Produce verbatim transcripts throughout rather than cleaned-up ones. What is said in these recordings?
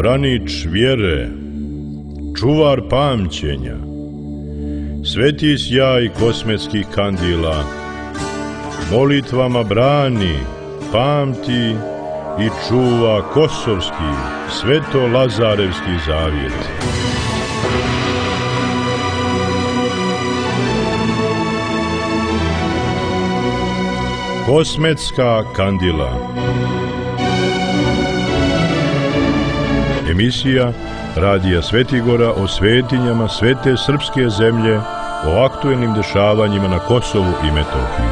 branič vjere, čuvar pamćenja, sveti sjaj kosmetskih kandila, molitvama brani, pamti i čuva kosovski, sveto-lazarevski zavjet. Kosmetska kandila. Emisija Radija Svetigora o svetinjama svete srpske zemlje, o aktuelnim dešavanjima na Kosovu i Metohiji.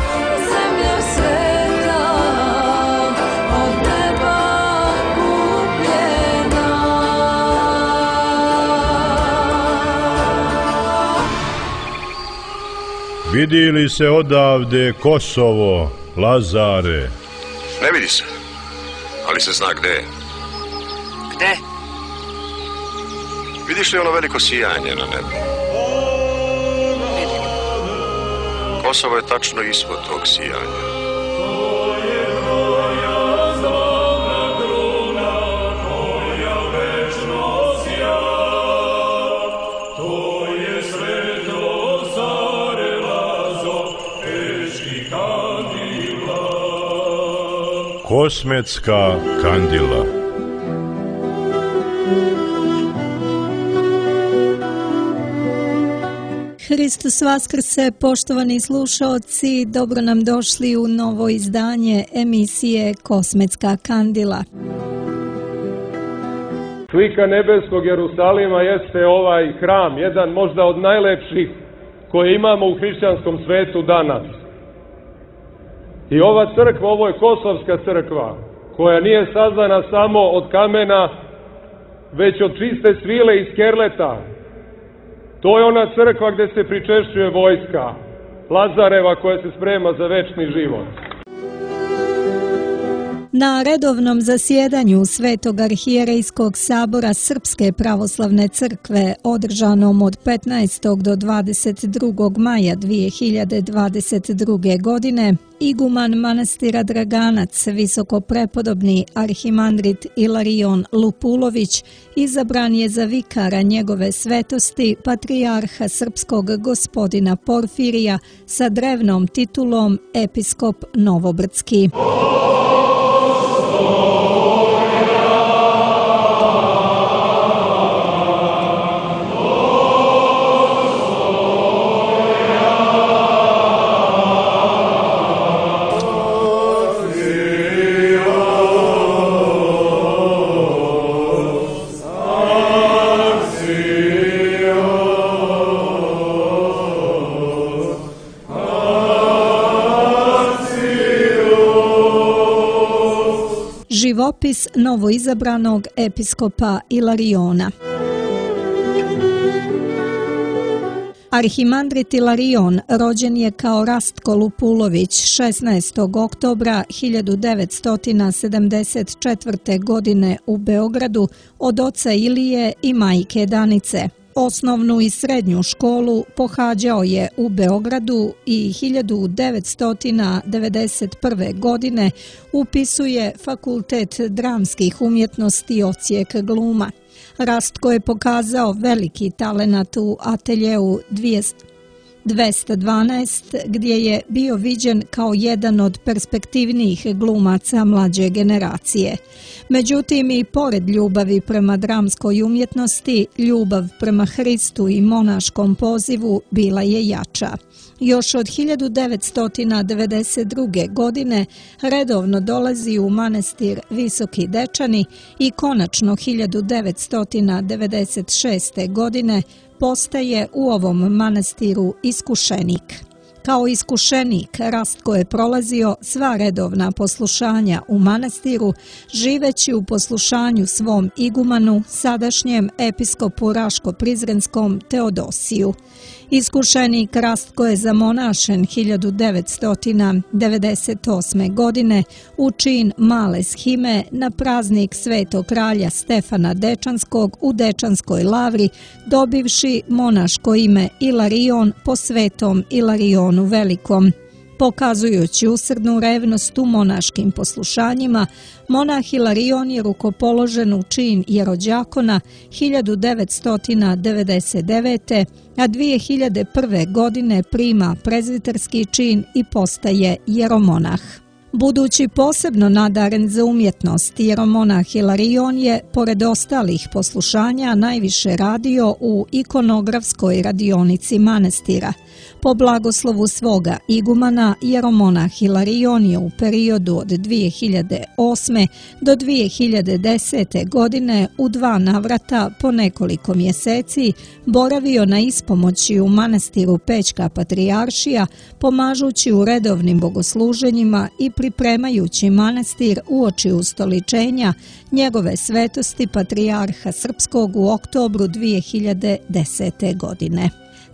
Vidi li se odavde Kosovo, Lazare? Ne vidi se, ali se zna gde je. Gde? Vidiš li ono veliko sijanje na nebu? Vidim. Kosovo je tačno ispod tog sijanja. Kosmetska kandila. Hristos vaskrse, poštovani slušaoci, dobro nam došli u novo izdanje emisije Kosmetska kandila. Slika nebeskog Jerusalima jeste ovaj hram, jedan možda od najlepših koje imamo u hrišćanskom svetu danas. I ova crkva, ovo je Kosovska crkva, koja nije sazdana samo od kamena, već od čiste svile i skerleta. To je ona crkva gdje se pričešćuje vojska Lazareva koja se sprema za večni život. Na redovnom zasjedanju Svetog arhijerejskog sabora Srpske pravoslavne crkve održanom od petnaestog do dvadeset drugog maja dvije hiljade dvadeset druge. godine, iguman manastira Draganac, visokoprepodobni arhimandrit Ilarion Lupulović, izabran je za vikara njegove svetosti patrijarha srpskog gospodina Porfirija sa drevnom titulom episkop Novobrdski. Živopis novoizabranog episkopa Ilariona. Arhimandrit Ilarion rođen je kao Rastko Lupulović šesnaestog oktobra hiljadu devetsto sedamdeset četvrte. godine u Beogradu od oca Ilije i majke Danice. Osnovnu i srednju školu pohađao je u Beogradu i hiljadu devetsto devedeset prve. godine upisuje Fakultet dramskih umjetnosti odsjek gluma. Rastko je pokazao veliki talenat u ateljeu dvesta dvanaest, gdje je bio viđen kao jedan od perspektivnijih glumaca mlađe generacije. Međutim, i pored ljubavi prema dramskoj umjetnosti, ljubav prema Hristu i monaškom pozivu bila je jača. Još od hiljadu devetsto devedeset druge. godine redovno dolazi u manastir Visoki Dečani i konačno hiljadu devetsto devedeset šeste. godine postaje u ovom manastiru iskušenik. Kao iskušenik Rastko je prolazio sva redovna poslušanja u manastiru, živeći u poslušanju svom igumanu, sadašnjem episkopu Raško-Prizrenskom Teodosiju. Iskušenik Rastko je zamonašen hiljadu devetsto devedeset osme. godine u čin male shime na praznik Svetog kralja Stefana Dečanskog u Dečanskoj lavri, dobivši monaško ime Ilarion po svetom Ilarionu Velikom. Pokazujući usrdnu revnost u monaškim poslušanjima, monah Hilarion je rukopoložen u čin jerođakona hiljadu devetsto devedeset devete. a dvije hiljade prve. godine prima prezviterski čin i postaje jeromonah. Budući posebno nadaren za umjetnost, jeromonah Hilarion je, pored ostalih poslušanja, najviše radio u ikonografskoj radionici manastira. Po blagoslovu svoga igumana, jeromonah Hilarion je u periodu od dvije hiljade osme. do dvije hiljade desete. godine u dva navrata po nekoliko mjeseci boravio na ispomoći u manastiru Pećka patrijaršija, pomažući u redovnim bogosluženjima i pripremajući manastir uoči ustoličenja njegove svetosti patrijarha srpskog u oktobru dvije hiljade desete. godine.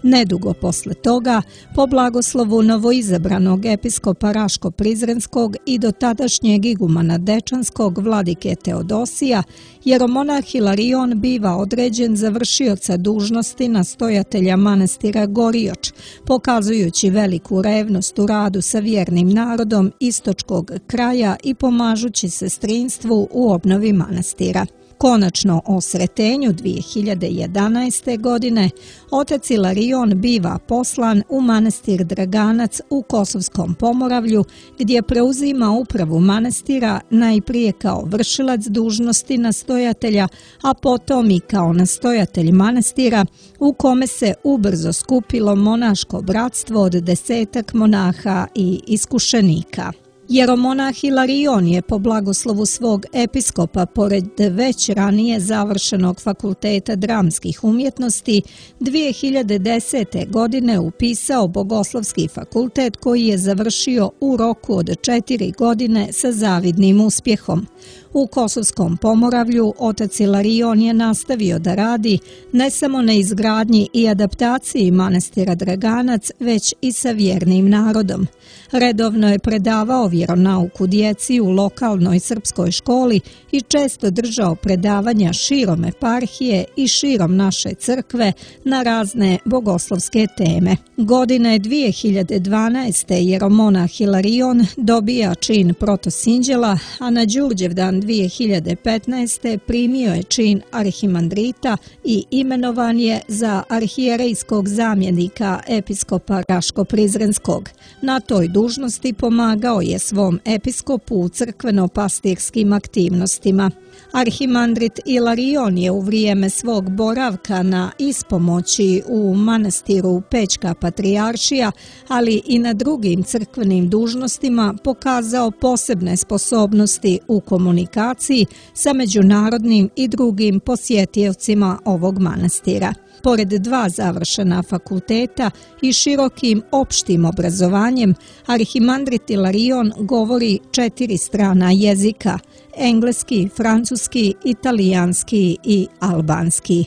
Nedugo posle toga, po blagoslovu novoizabranog episkopa Raško-Prizrenskog i dotadašnjeg igumana Dečanskog vladike Teodosija, jeromonah Hilarion biva određen za vršioca dužnosti nastojatelja manastira Gorioč, pokazujući veliku revnost u radu sa vjernim narodom istočkog kraja i pomažući sestrinstvu u obnovi manastira. Konačno o sretenju dvije hiljade jedanaeste. godine otac Hilarion biva poslan u manastir Draganac u Kosovskom Pomoravlju, gdje preuzima upravu manastira najprije kao vršilac dužnosti nastojatelja, a potom i kao nastojatelj manastira, u kome se ubrzo skupilo monaško bratstvo od desetak monaha i iskušenika. Jeromonah Hilarion je po blagoslovu svog episkopa, pored već ranije završenog fakulteta dramskih umjetnosti, dvije hiljade desete. godine upisao bogoslovski fakultet koji je završio u roku od četiri godine sa zavidnim uspjehom. U Kosovskom Pomoravlju otac Hilarion je nastavio da radi ne samo na izgradnji i adaptaciji manastira Draganac, već i sa vjernim narodom. Redovno je predavao vjeronauku djeci u lokalnoj srpskoj školi i često držao predavanja širom eparhije i širom naše crkve na razne bogoslovske teme. Godine dvije hiljade dvanaeste. jeromonah Hilarion dobija čin protosinđela, a na Đurđevdan dvije hiljade petnaeste. primio je čin arhimandrita i imenovan je za arhijerejskog zamjenika episkopa Raško-Prizrenskog. Na toj dužnosti pomagao je svom episkopu u crkveno-pastirskim aktivnostima. Arhimandrit Hilarion je u vrijeme svog boravka na ispomoći u manastiru Pećka patrijaršija, ali i na drugim crkvenim dužnostima pokazao posebne sposobnosti u komunikaciji sa međunarodnim i drugim posjetiocima ovog manastira. Pored dva završena fakulteta i širokim opštim obrazovanjem, arhimandrit Hilarion govori četiri strana jezika: engleski, francuski, italijanski i albanski.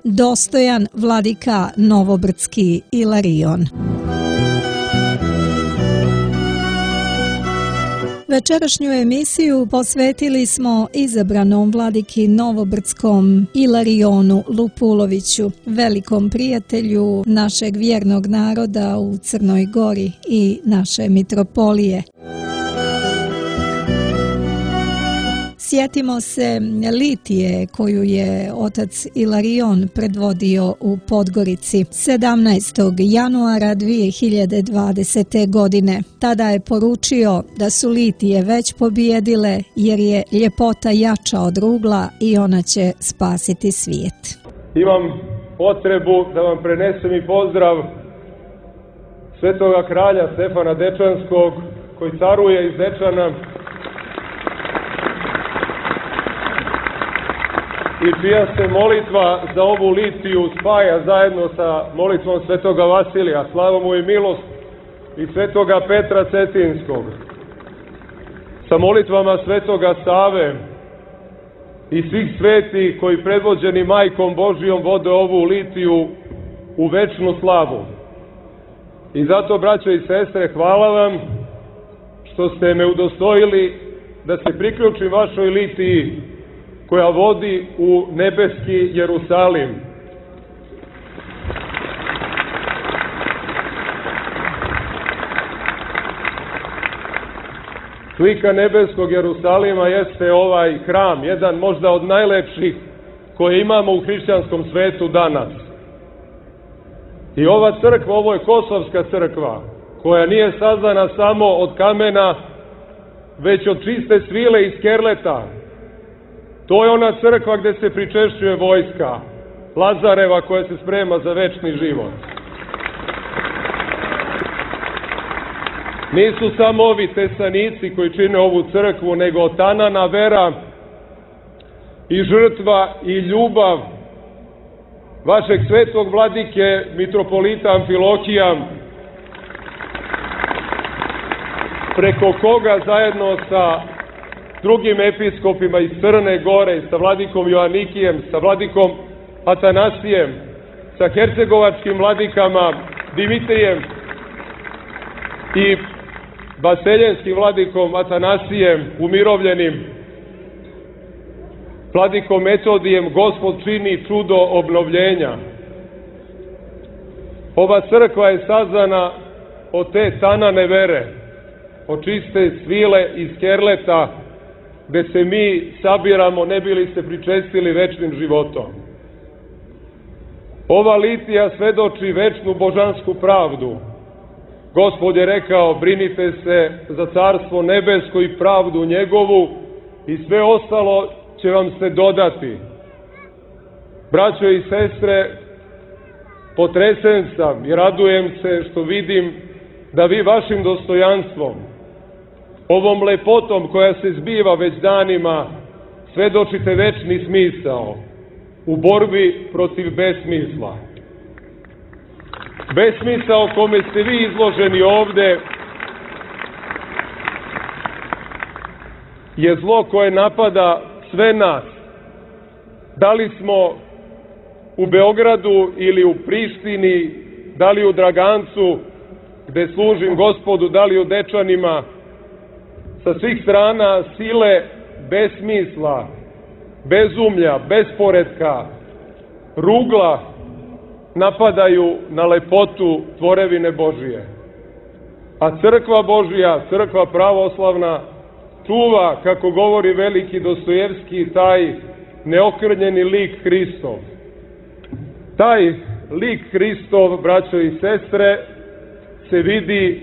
Dostojan vladika Novobrdski Hilarion. Večerašnju emisiju posvetili smo izabranom vladiki Novobrdskom Hilarionu Lupuloviću, velikom prijatelju našeg vjernog naroda u Crnoj Gori i naše mitropolije. Sjetimo se litije koju je otac Hilarion predvodio u Podgorici sedamnaestog januara dvije hiljade dvadesete. godine. Tada je poručio da su litije već pobijedile jer je ljepota jača od rugla i ona će spasiti svijet. Imam potrebu da vam prenesem i pozdrav svetoga kralja Stefana Dečanskog koji caruje iz Dečana i čija se molitva za ovu litiju spaja zajedno sa molitvom svetoga Vasilija, slava mu i milost, i svetoga Petra Cetinskog, sa molitvama svetoga Save i svih svetih koji predvođeni Majkom Božijom vode ovu litiju u večnu slavu. I zato, braćo i sestre, hvala vam što ste me udostojili da se priključim vašoj litiji koja vodi u nebeski Jerusalim. Slika nebeskog Jerusalima jeste ovaj hram, jedan možda od najlepših koje imamo u hrišćanskom svetu danas. I ova crkva, ovo je Kosovska crkva, koja nije sazdana samo od kamena, već od čiste svile i skerleta. To je ona crkva gde se pričešćuje vojska Lazareva koja se sprema za večni život. Nisu samo ovi tesanici koji čine ovu crkvu, nego tanana vera i žrtva i ljubav vašeg svetog vladike, mitropolita Amfilohija, preko koga zajedno sa drugim episkopima iz Crne Gore, sa vladikom Joanikijem, sa vladikom Atanasijem, sa hercegovačkim vladikama Dimitrijem i vaseljenskim vladikom Atanasijem, umirovljenim vladikom Metodijem, Gospod čini čudo obnovljenja. Ova crkva je sazdana od te tanane vere, od čiste svile i skerleta, gde se mi sabiramo ne bili se pričestili večnim životom. Ova litija svedoči večnu božansku pravdu. Gospod je rekao, brinite se za carstvo nebesko i pravdu njegovu i sve ostalo će vam se dodati. Braćo i sestre, potresen sam i radujem se što vidim da vi vašim dostojanstvom, ovom lepotom koja se zbiva već danima, svedočite večni smisao u borbi protiv besmisla. Besmisao kome ste vi izloženi ovde je zlo koje napada sve nas. Da li smo u Beogradu ili u Prištini, da li u Dragancu, gde služim Gospodu, da li u Dečanima, sa svih strana sile besmisla, bezumlja, besporedka, rugla napadaju na lepotu tvorevine Božije. A crkva Božija, crkva pravoslavna, čuva, kako govori veliki Dostojevski, taj neokrnjeni lik Hristov. Taj lik Hristov, braćo i sestre, se vidi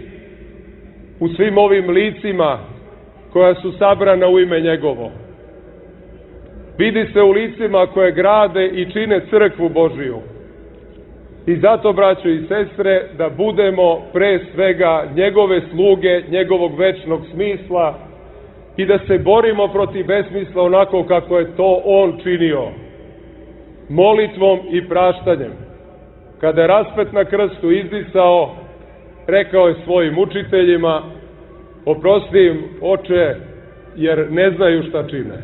u svim ovim licima koja su sabrana u ime njegovo. Vidi se u licima koje grade i čine crkvu Božiju. I zato, braćo i sestre, da budemo pre svega njegove sluge, njegovog večnog smisla i da se borimo protiv besmisla onako kako je to on činio. Molitvom i praštanjem. Kada je raspet na krstu izdisao, rekao je svojim učiteljima, oprosti im, oče, jer ne znaju šta čine.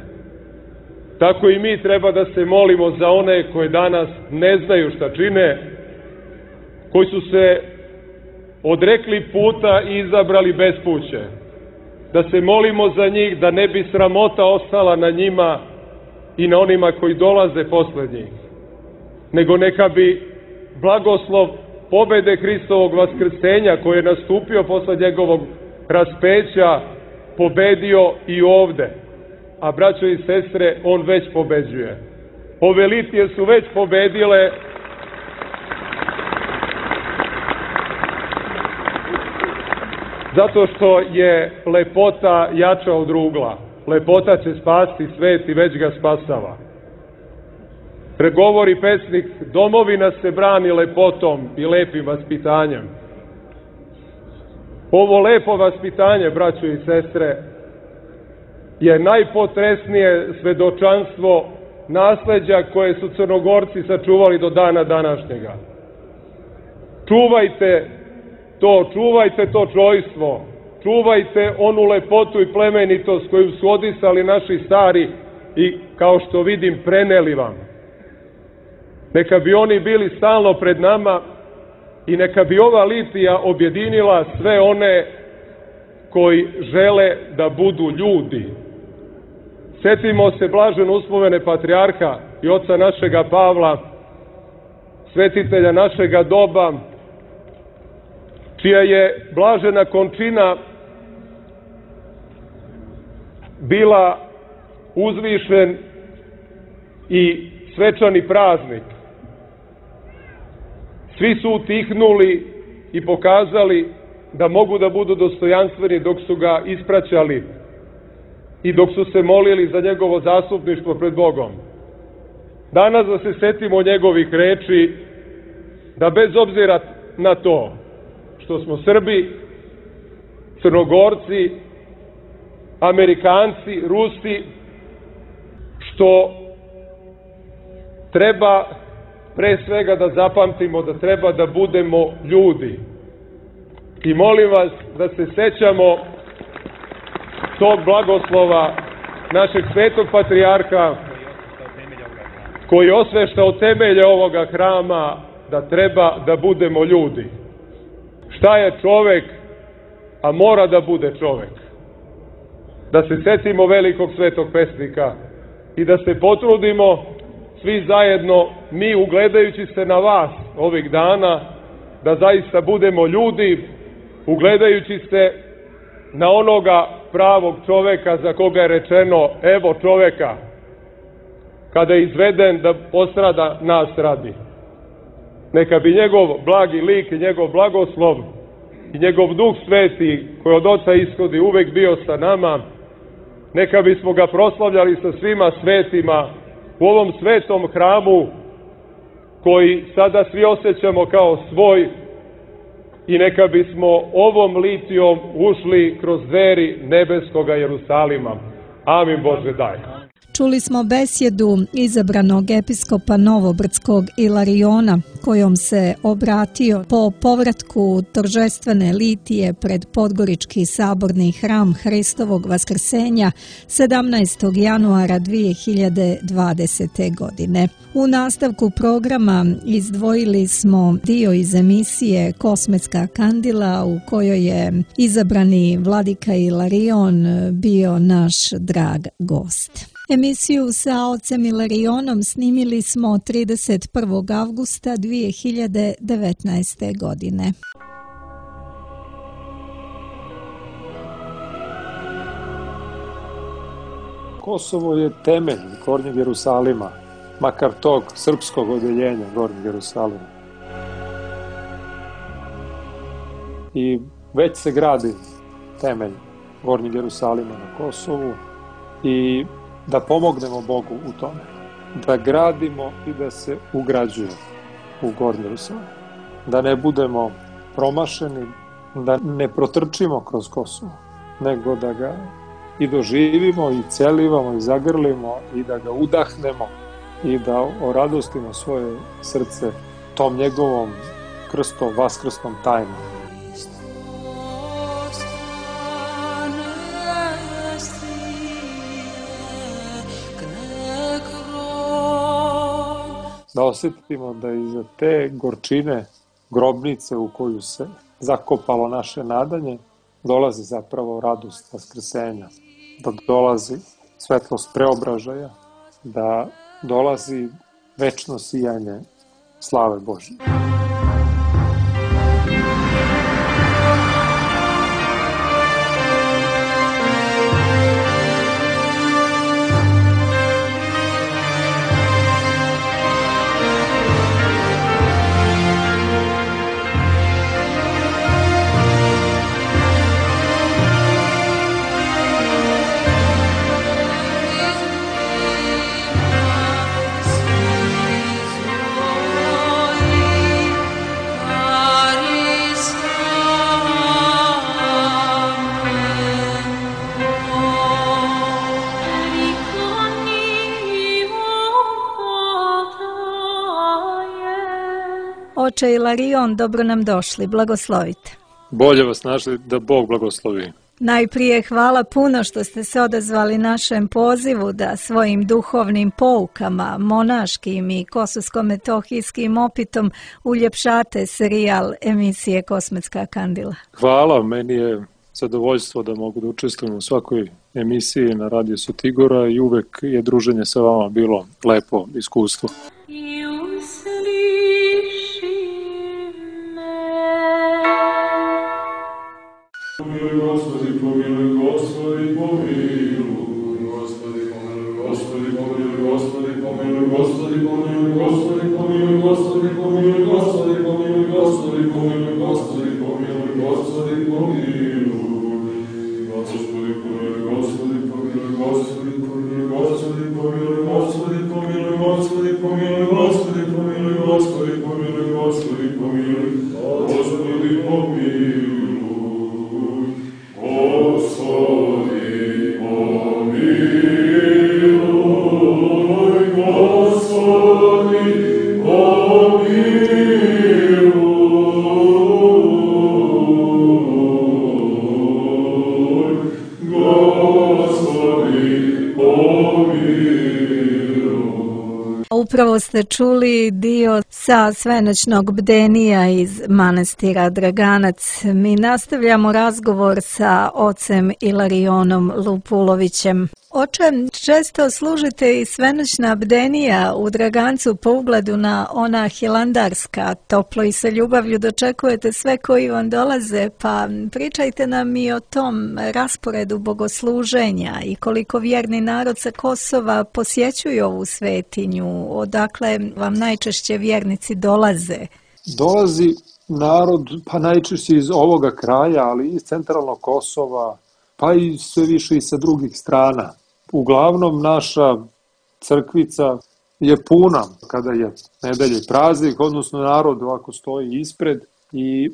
Tako i mi treba da se molimo za one koji danas ne znaju šta čine, koji su se odrekli puta i izabrali bespuće. Da se molimo za njih, da ne bi sramota ostala na njima i na onima koji dolaze posle njih, nego neka bi blagoslov pobede Hristovog vaskrsenja koji je nastupio posle njegovog raspeća pobedio i ovde. A braćo i sestre, on već pobeđuje. Ove litije su već pobedile zato što je lepota jača od rugla. Lepota će spasti svet i već ga spasava. Pregovori pesnik, domovina se brani lepotom i lepim vaspitanjem. Ovo lepo vaspitanje, braćo i sestre, je najpotresnije svedočanstvo nasleđa koje su Crnogorci sačuvali do dana današnjega. Čuvajte to, čuvajte to čojstvo, čuvajte onu lepotu i plemenitost koju su odisali naši stari i, kao što vidim, preneli vam. Neka bi oni bili stalno pred nama i neka bi ova litija objedinila sve one koji žele da budu ljudi. Setimo se blaženo uspomene patrijarha i oca našega Pavla, svetitelja našega doba, čija je blažena končina bila uzvišen i svečani praznik. Svi su utihnuli i pokazali da mogu da budu dostojanstveni dok su ga ispraćali i dok su se molili za njegovo zastupništvo pred Bogom. Danas da se setimo njegovih reči, da bez obzira na to što smo Srbi, Crnogorci, Amerikanci, Rusi, što treba pre svega da zapamtimo da treba da budemo ljudi. I molim vas da se sećamo tog blagoslova našeg svetog patrijarha koji je osveštao temelje ovoga hrama, da treba da budemo ljudi. Šta je čovek, a mora da bude čovek? Da se setimo velikog svetog pesnika i da se potrudimo svi zajedno, mi ugledajući se na vas ovih dana, da zaista budemo ljudi, ugledajući se na onoga pravog čoveka za koga je rečeno evo čoveka, kada je izveden da postrada nas radi. Neka bi njegov blagi lik i njegov blagoslov i njegov duh sveti koji od Oca ishodi uvek bio sa nama, neka bismo ga proslavljali sa svima svetima u ovom svetom hramu koji sada svi osjećamo kao svoj i neka bismo ovom litijom ušli kroz dveri nebeskoga Jerusalima. Amin Bože daj. Čuli smo besjedu izabranog episkopa Novobrdskog Ilariona, kojom se obratio po povratku торжествene litije pred Podgorički saborni hram Hristovog vaskrsenja sedamnaestog januara dvije hiljade dvadesete. godine. U nastavku programa izdvojili smo dio iz emisije Kosmetska kandila u kojoj je izabrani vladika Ilarion bio naš drag gost. Emisiju sa ocem Ilarionom snimili smo trideset prvog avgusta dvije hiljade devetnaeste. godine. Kosovo je temelj Gornjeg Jerusalima, makar tog srpskog odeljenja Gornjeg Jerusalima. I već se gradi temelj Gornjeg Jerusalima na Kosovu i da pomognemo Bogu u tome, da gradimo i da se ugrađuje u Gornji Jerusalim, da ne budemo promašeni, da ne protrčimo kroz Kosovo, nego da ga i doživimo i celivamo i zagrlimo i da ga udahnemo i da oradostimo svoje srce tom njegovom krstom, vaskrsnom tajnom. Da osjetimo da iza te gorčine grobnice u koju se zakopalo naše nadanje dolazi zapravo radost vaskrsenja, da dolazi svetlost preobražaja, da dolazi večno sijanje slave Božje. Oče Ilarion, dobro nam došli, blagoslovite. Bolje vas našli, da Bog blagoslovi. Najprije hvala puno što ste se odazvali našem pozivu da svojim duhovnim poukama, monaškim i kosovsko-metohijskim opitom uljepšate serijal emisije Kosmetska kandila. Hvala, meni je zadovoljstvo da mogu da učestvujem u svakoj emisiji na Radio Sutigora i uvek je druženje sa vama bilo lepo iskustvo. Pomiluj, Gospodi, pomiluj, Gospodi, pomiluj. Upravo ste čuli dio sa svenoćnog bdenija iz manastira Draganac. Mi nastavljamo razgovor sa ocem Ilarionom Lupulovićem. Oče, često služite i svenoćna bdenija u Dragancu po ugledu na ona hilandarska. Toplo i sa ljubavlju dočekujete sve koji vam dolaze, pa pričajte nam i o tom rasporedu bogosluženja i koliko vjerni narod sa Kosova posjećuju ovu svetinju, odakle vam najčešće vjernici dolaze. Dolazi narod, pa najčešće iz ovoga kraja, ali iz centralnog Kosova, pa i sve više i sa drugih strana. Uglavnom naša crkvica je puna kada je nedelje praznik, odnosno narod ovako stoji ispred i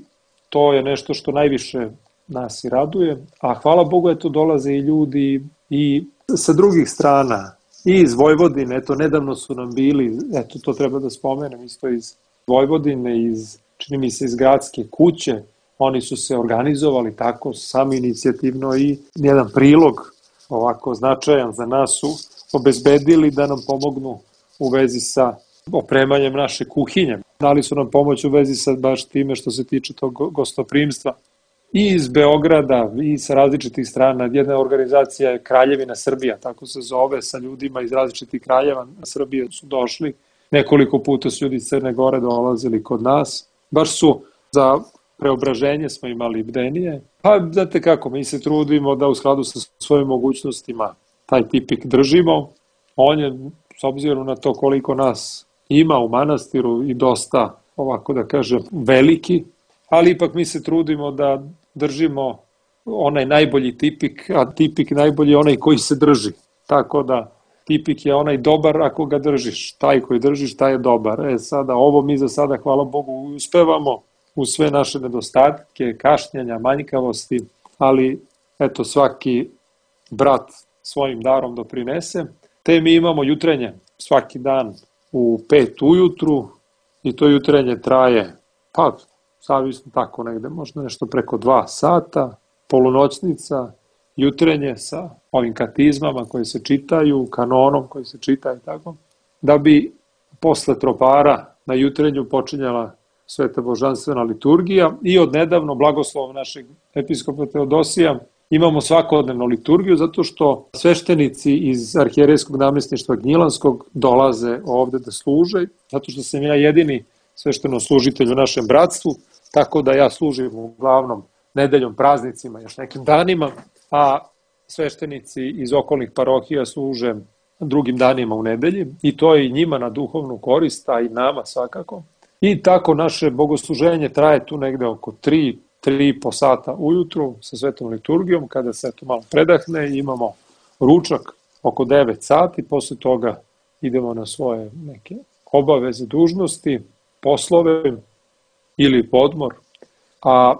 to je nešto što najviše nas i raduje. A hvala Bogu, eto dolaze i ljudi i sa drugih strana, i iz Vojvodine, eto nedavno su nam bili, eto to treba da spomenem, isto iz Vojvodine, iz, čini mi se iz gradske kuće, oni su se organizovali tako samoinicijativno i jedan prilog ovako značajan za nas su obezbedili da nam pomognu u vezi sa opremanjem naše kuhinje. Dali su nam pomoć u vezi sa baš time što se tiče tog gostoprimstva. I iz Beograda i sa različitih strana. Jedna organizacija je Kraljevina Srbija, tako se zove, sa ljudima iz različitih kraljeva Srbije su došli. Nekoliko puta su ljudi iz Crne Gore dolazili kod nas. Baš su za preobraženje smo imali bdenije. Pa, znate kako, mi se trudimo da u skladu sa svojim mogućnostima taj tipik držimo. On je, s obzirom na to koliko nas ima u manastiru, i dosta, ovako da kažem, veliki, ali ipak mi se trudimo da držimo onaj najbolji tipik, a tipik najbolji je onaj koji se drži. Tako da tipik je onaj dobar ako ga držiš. Taj koji držiš, taj je dobar. E sada, ovo mi za sada, hvala Bogu, uspevamo uz sve naše nedostatke, kašnjenja, manjkavosti, ali eto svaki brat svojim darom doprinese. Te mi imamo jutrenje svaki dan u pet ujutru i to jutrenje traje, pa zavisno tako negde, možda nešto preko dva sata, polunoćnica, jutrenje sa ovim katizmama koje se čitaju, kanonom koji se čita i tako, da bi posle tropara na jutrenju počinjala sveta božanstvena liturgija i od nedavno blagoslovom našeg episkopa Teodosija imamo svakodnevnu liturgiju zato što sveštenici iz arhijerejskog namestništva Gnjilanskog dolaze ovde da služe, zato što sam ja jedini sveštenoslужitelj u našem bratstvu, tako da ja služim uglavnom nedeljom, praznicima, još nekim danima, a sveštenici iz okolnih parohija služe drugim danima u nedelji i to je i njima na duhovnu korist, a i nama svakako. I tako naše bogosluženje traje tu negde oko tri, tri i po sata ujutru sa svetom liturgijom, kada se to malo predahne, imamo ručak oko devet sati, posle toga idemo na svoje neke obaveze, dužnosti, poslove ili podmor, a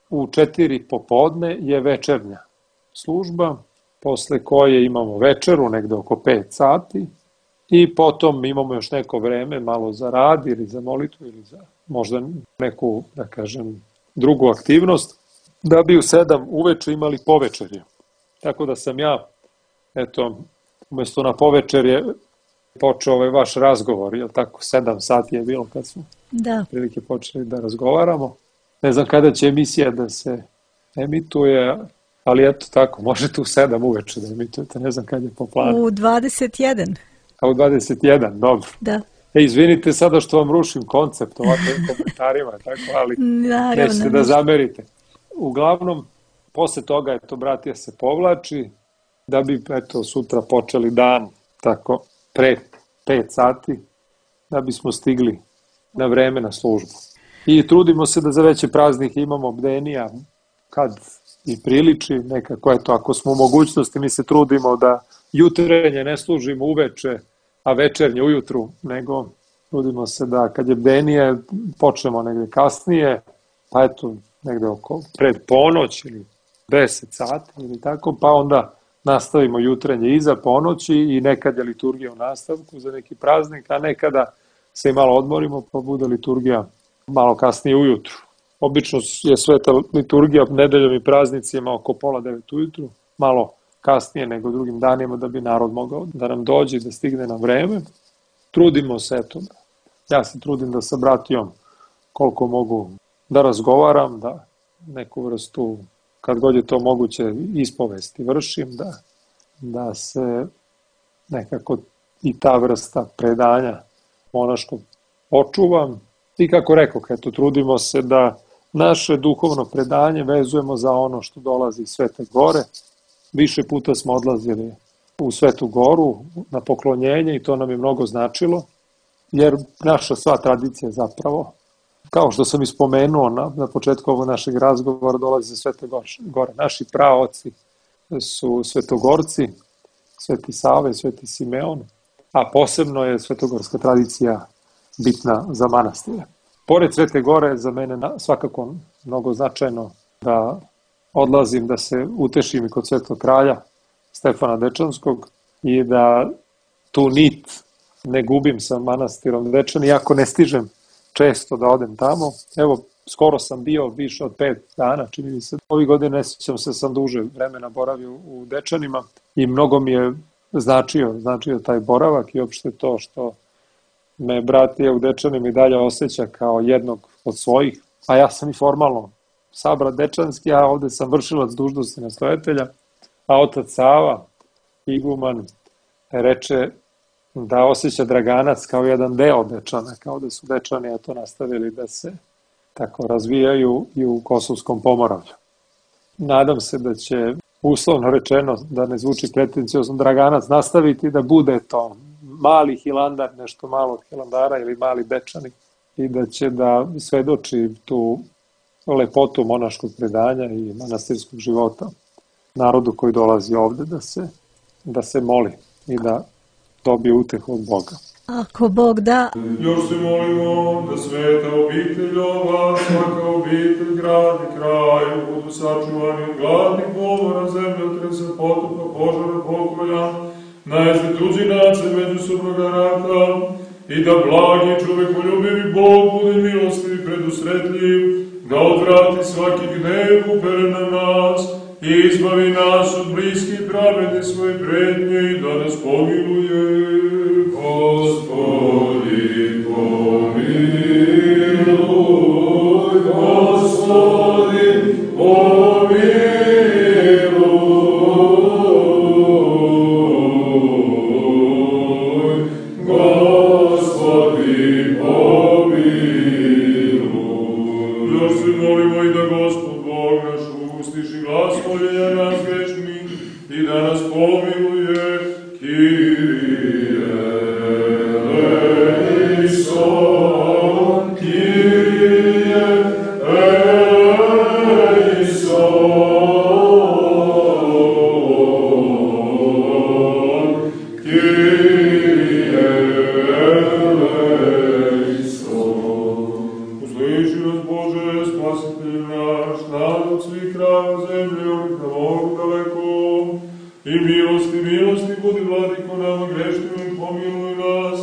u četiri popodne je večernja služba, posle koje imamo večeru negde oko pet sati i potom imamo još neko vreme malo za rad ili za molitvu ili za možda neku, da kažem, drugu aktivnost, da bi u sedam uveče imali povečerje. Tako da sam ja, eto, umjesto na povečerje počeo ovaj vaš razgovor, jel tako, sedam sati je bilo kad smo da. prilike počeli da razgovaramo. Ne znam kada će emisija da se emituje, ali eto tako, možete u sedam uveče da emitujete, ne znam kad je po planu. U dvadeset jedan. A u dvadeset jedan, dobro. Da. E, izvinite sada što vam rušim koncept ovakvim komentarima, tako, ali Naravno, nećete da zamerite. Uglavnom, posle toga, eto, bratija se povlači, da bi, eto, sutra počeli dan, tako, pre pet sati, da bismo stigli na vreme na službu. I trudimo se da za veće praznike imamo bdenija, kad i priliči, nekako, eto, ako smo u mogućnosti, mi se trudimo da jutrenje ne služimo uveče, a večernje ujutru, nego Trudimo se da kad je bdenije počnemo negde kasnije, pa eto negde oko pred ponoć ili deset sati ili tako, pa onda nastavimo jutrenje iza ponoći i nekad je liturgija u nastavku za neki praznik, a nekada se i malo odmorimo pa bude liturgija malo kasnije ujutru. Obično je sveta liturgija nedeljom i praznicima oko pola devet ujutru, malo kasnije nego drugim danima da bi narod mogao da nam dođe i da stigne na vreme. Trudimo se, eto, ja se trudim da sa bratijom koliko mogu da razgovaram, da neku vrstu, kad god je to moguće, ispovesti vršim, da, da se nekako i ta vrsta predanja monaškog očuvam. I kako rekao, eto, trudimo se da naše duhovno predanje vezujemo za ono što dolazi iz Svete Gore. Više puta smo odlazili u Svetu Goru na poklonjenje i to nam je mnogo značilo, jer naša sva tradicija zapravo, kao što sam ispomenuo na, na početku ovog našeg razgovora, dolazi iz Svete Gore. Naši praoci su svetogorci, Sveti Sava i Sveti Simeon, a posebno je svetogorska tradicija bitna za manastire. Pored Svete Gore, za mene svakako mnogo značajno da odlazim da se utešim i kod Svetog kralja Stefana Dečanskog i da tu nit ne gubim sa manastirom Dečan, iako ne stižem često da odem tamo. Evo, skoro sam bio više od pet dana, čini mi se. Ovih godine ne sjećam se, sam duže vremena boravio u Dečanima i mnogo mi je značio, značio taj boravak i uopšte to što me bratija u Dečanima i dalje osjeća kao jednog od svojih, a ja sam i formalno sabrat dečanski, a ovde sam vršilac dužnosti nastojatelja, a otac Sava, iguman, reče da osjeća Draganac kao jedan deo Dečana, kao da su Dečani eto nastavili da se tako razvijaju i u Kosovskom Pomoravlju. Nadam se da će, uslovno rečeno, da ne zvuči pretenciozno, Draganac nastaviti da bude to mali Hilandar, nešto malo od Hilandara ili mali Dečani i da će da svedoči tu lepotu monaškog predanja i manastirskog života narodu koji dolazi ovde da se, da se moli i da dobije utehu od Boga. Ako Bog da... Još se molimo da sveta obitelj ova, svaka obitelj, grad i kraj, budu sačuvani od gladnih pomora, zemljotresa, potopa, požara, pokolja, najezde tuđinaca, međusobnog rata, i da blagi čovekoljubivi Bog bude milostiv i predusretljiv, da odvrati svaki gnev uperen na nas i izbavi nas od bliskih pravedne svoje prednje i da nas pomiluje. Gospodi, pomiluj, Gospodi, pomiluj, Gospodi, pomiluj. Još se molimo i da Gospod Bog naš ustiši glas moljenja nas grešnih i da nas pomiluje. Kyrie eleison, Kyrie eleison, Kyrie eleison. Usliši nas, Bože, spasitelj naš, narod svih krajeva zemlje, ovih na moru daleko, i milosti, milosti, budi vladiko nama grešnima i pomiluj nas,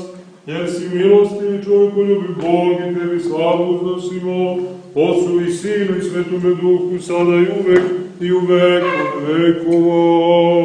jer si milosti i čovjekoljubi Bog i tebi slavu uznosimo, Otcu i Sinu i Svetome Duhu, sada i uvek i u vek od vekova.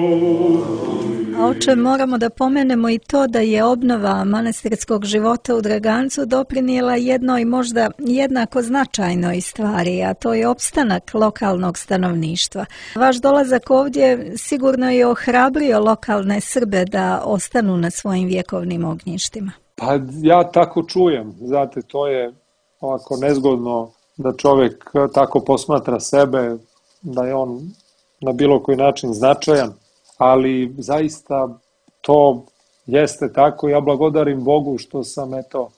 A oče, moramo da pomenemo i to da je obnova manastirskog života u Dragancu doprinijela jednoj možda jednako značajnoj stvari, a to je opstanak lokalnog stanovništva. Vaš dolazak ovdje sigurno je ohrabrio lokalne Srbe da ostanu na svojim vjekovnim ognjištima. Pa ja tako čujem, znate, to je ovako nezgodno da čovjek tako posmatra sebe, da je on na bilo koji način značajan, ali zaista to jeste tako. Ja blagodarim Bogu što sam eto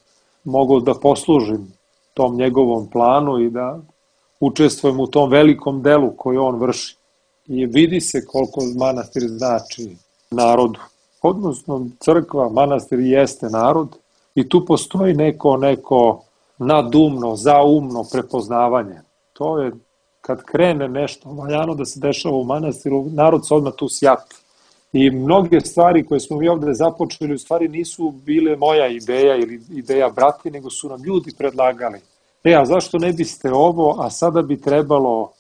mogao da poslužim tom njegovom planu i da učestvujem u tom velikom delu koji on vrši. I vidi se koliko manastir znači narodu. Odnosno crkva, manastir jeste narod I tu postoji neko, neko nadumno, zaumno prepoznavanje. To je kad krene nešto valjano da se dešava u manastiru, narod se odmah tu sjati. I mnoge stvari koje smo mi ovde započeli u stvari nisu bile moja ideja ili ideja brati, nego su nam ljudi predlagali. E, a zašto ne biste ovo, a sada bi trebalo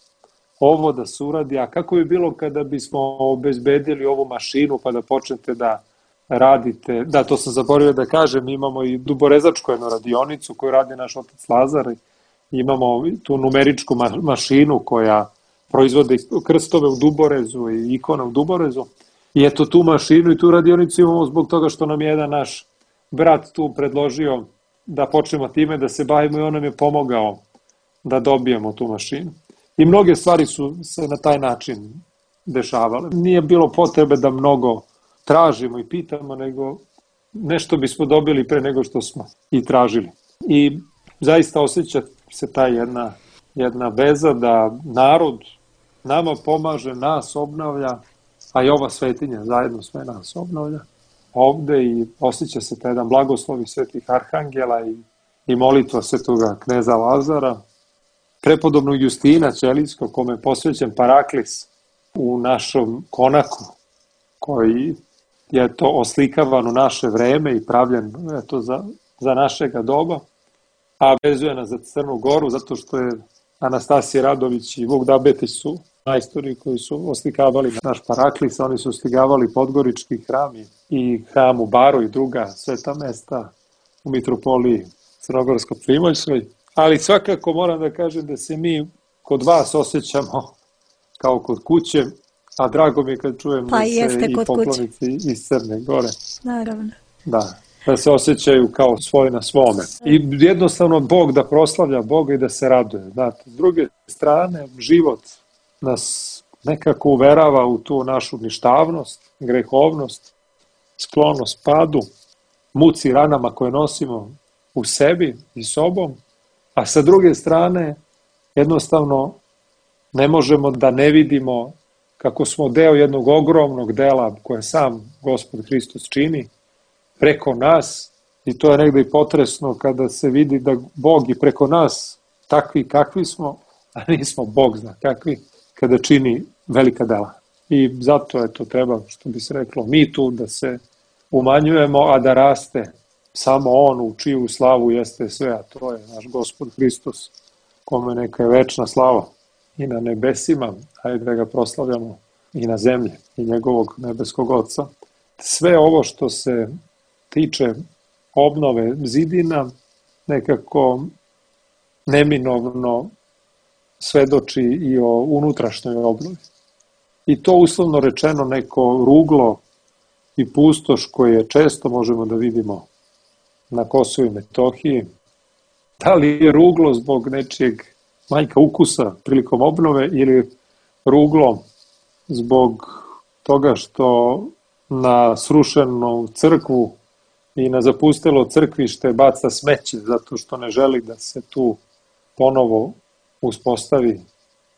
ovo da se uradi, a kako bi bilo kada bismo obezbedili ovu mašinu pa da počnete da radite, da, to sam zaboravio da kažem, imamo i duborezačku jednu radionicu koju radi naš otac Lazar, imamo tu numeričku ma- mašinu koja proizvode krstove u Duborezu i ikone u Duborezu, i eto tu mašinu i tu radionicu imamo zbog toga što nam je jedan naš brat tu predložio da počnemo time da se bavimo i on nam je pomogao da dobijemo tu mašinu. I mnoge stvari su se na taj način dešavale. Nije bilo potrebe da mnogo tražimo i pitamo, nego nešto bismo dobili pre nego što smo i tražili. I zaista osjeća se ta jedna, jedna veza da narod nama pomaže, nas obnavlja, a i ova svetinja zajedno sve nas obnavlja ovde i osjeća se taj jedan blagoslovi svetih arhangela i, i molitva svetoga kneza Lazara, prepodobnog Justina Ćelijskog, kome je posvećen paraklis u našom konaku, koji je to oslikavan u naše vreme i pravljen eto, za, za našega doba, a vezuje nas za Crnu Goru, zato što je Anastasija Radović i Vuk Dabetić su majstori koji su oslikavali naš paraklis, oni su oslikavali Podgorički hram i hram u Baru i druga sveta mesta u mitropoliji Crnogorsko-Primoljskoj. Ali svakako moram da kažem da se mi kod vas osjećamo kao kod kuće, a drago mi je kad čujem pa da se i poklonici kuće. iz Crne Gore. Naravno. Da, da se osjećaju kao svoj na svome. I jednostavno Bog da proslavlja Boga i da se raduje. Znate, s druge strane, život nas nekako uverava u tu našu ništavnost, grehovnost, sklonost padu, muci ranama koje nosimo u sebi i sobom, a sa druge strane jednostavno ne možemo da ne vidimo kako smo deo jednog ogromnog dela koje sam Gospod Hristos čini preko nas, i to je negde i potresno kada se vidi da Bog i preko nas takvi kakvi smo, a nismo Bog zna kakvi, kada čini velika dela. I zato je to treba, što bi se reklo, mi tu da se umanjujemo, a da raste samo on u čiju slavu jeste sve, a to je naš Gospod Hristos, kome neka je večna slava i na nebesima, ajde da ga proslavljamo i na zemlji i njegovog nebeskog Oca. Sve ovo što se tiče obnove zidina nekako neminovno svedoči i o unutrašnjoj obnovi. I to uslovno rečeno neko ruglo i pustoš koje često možemo da vidimo na Kosovu i Metohiji. Da li je ruglo zbog nečijeg manjka ukusa prilikom obnove ili ruglo zbog toga što na srušenu crkvu i na zapustelo crkvište baca smeće zato što ne želi da se tu ponovo uspostavi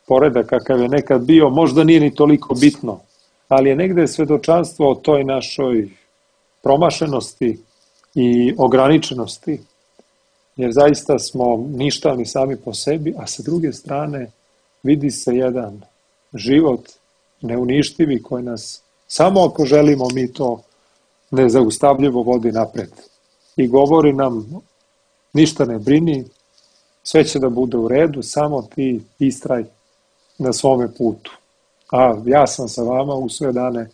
poredak kakav je nekad bio, možda nije ni toliko bitno, ali je negde svedočanstvo o toj našoj promašenosti i ograničenosti, jer zaista smo ništavni sami po sebi, a sa druge strane vidi se jedan život neuništivi koji nas, samo ako želimo, mi to nezaustavljivo vodi napred. I govori nam, ništa ne brini, sve će da bude u redu, samo ti istraj na svome putu. A ja sam sa vama u sve dane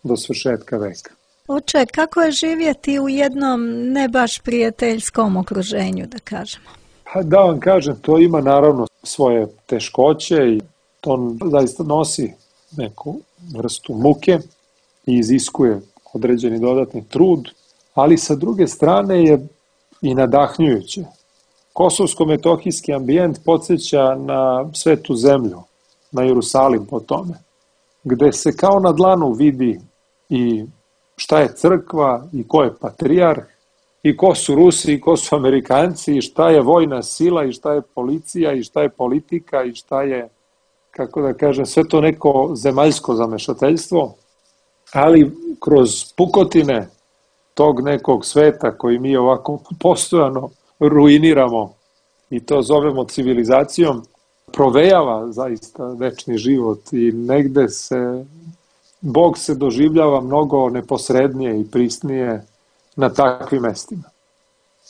do svršetka veka. Oče, kako je živjeti u jednom ne baš prijateljskom okruženju, da kažemo? Pa da vam kažem, to ima naravno svoje teškoće i to zaista nosi neku vrstu muke i iziskuje određeni dodatni trud, ali sa druge strane je i nadahnjujuće. Kosovsko-metohijski ambijent podsjeća na svetu zemlju, na Jerusalim po tome, gde se kao na dlanu vidi i šta je crkva i ko je patrijarh i ko su Rusi i ko su Amerikanci i šta je vojna sila i šta je policija i šta je politika i šta je, kako da kažem, sve to neko zemaljsko zamešateljstvo, ali kroz pukotine tog nekog sveta koji mi ovako postojano ruiniramo i to zovemo civilizacijom, provejava zaista večni život i negde se Bog se doživljava mnogo neposrednije i prisnije na takvim mestima.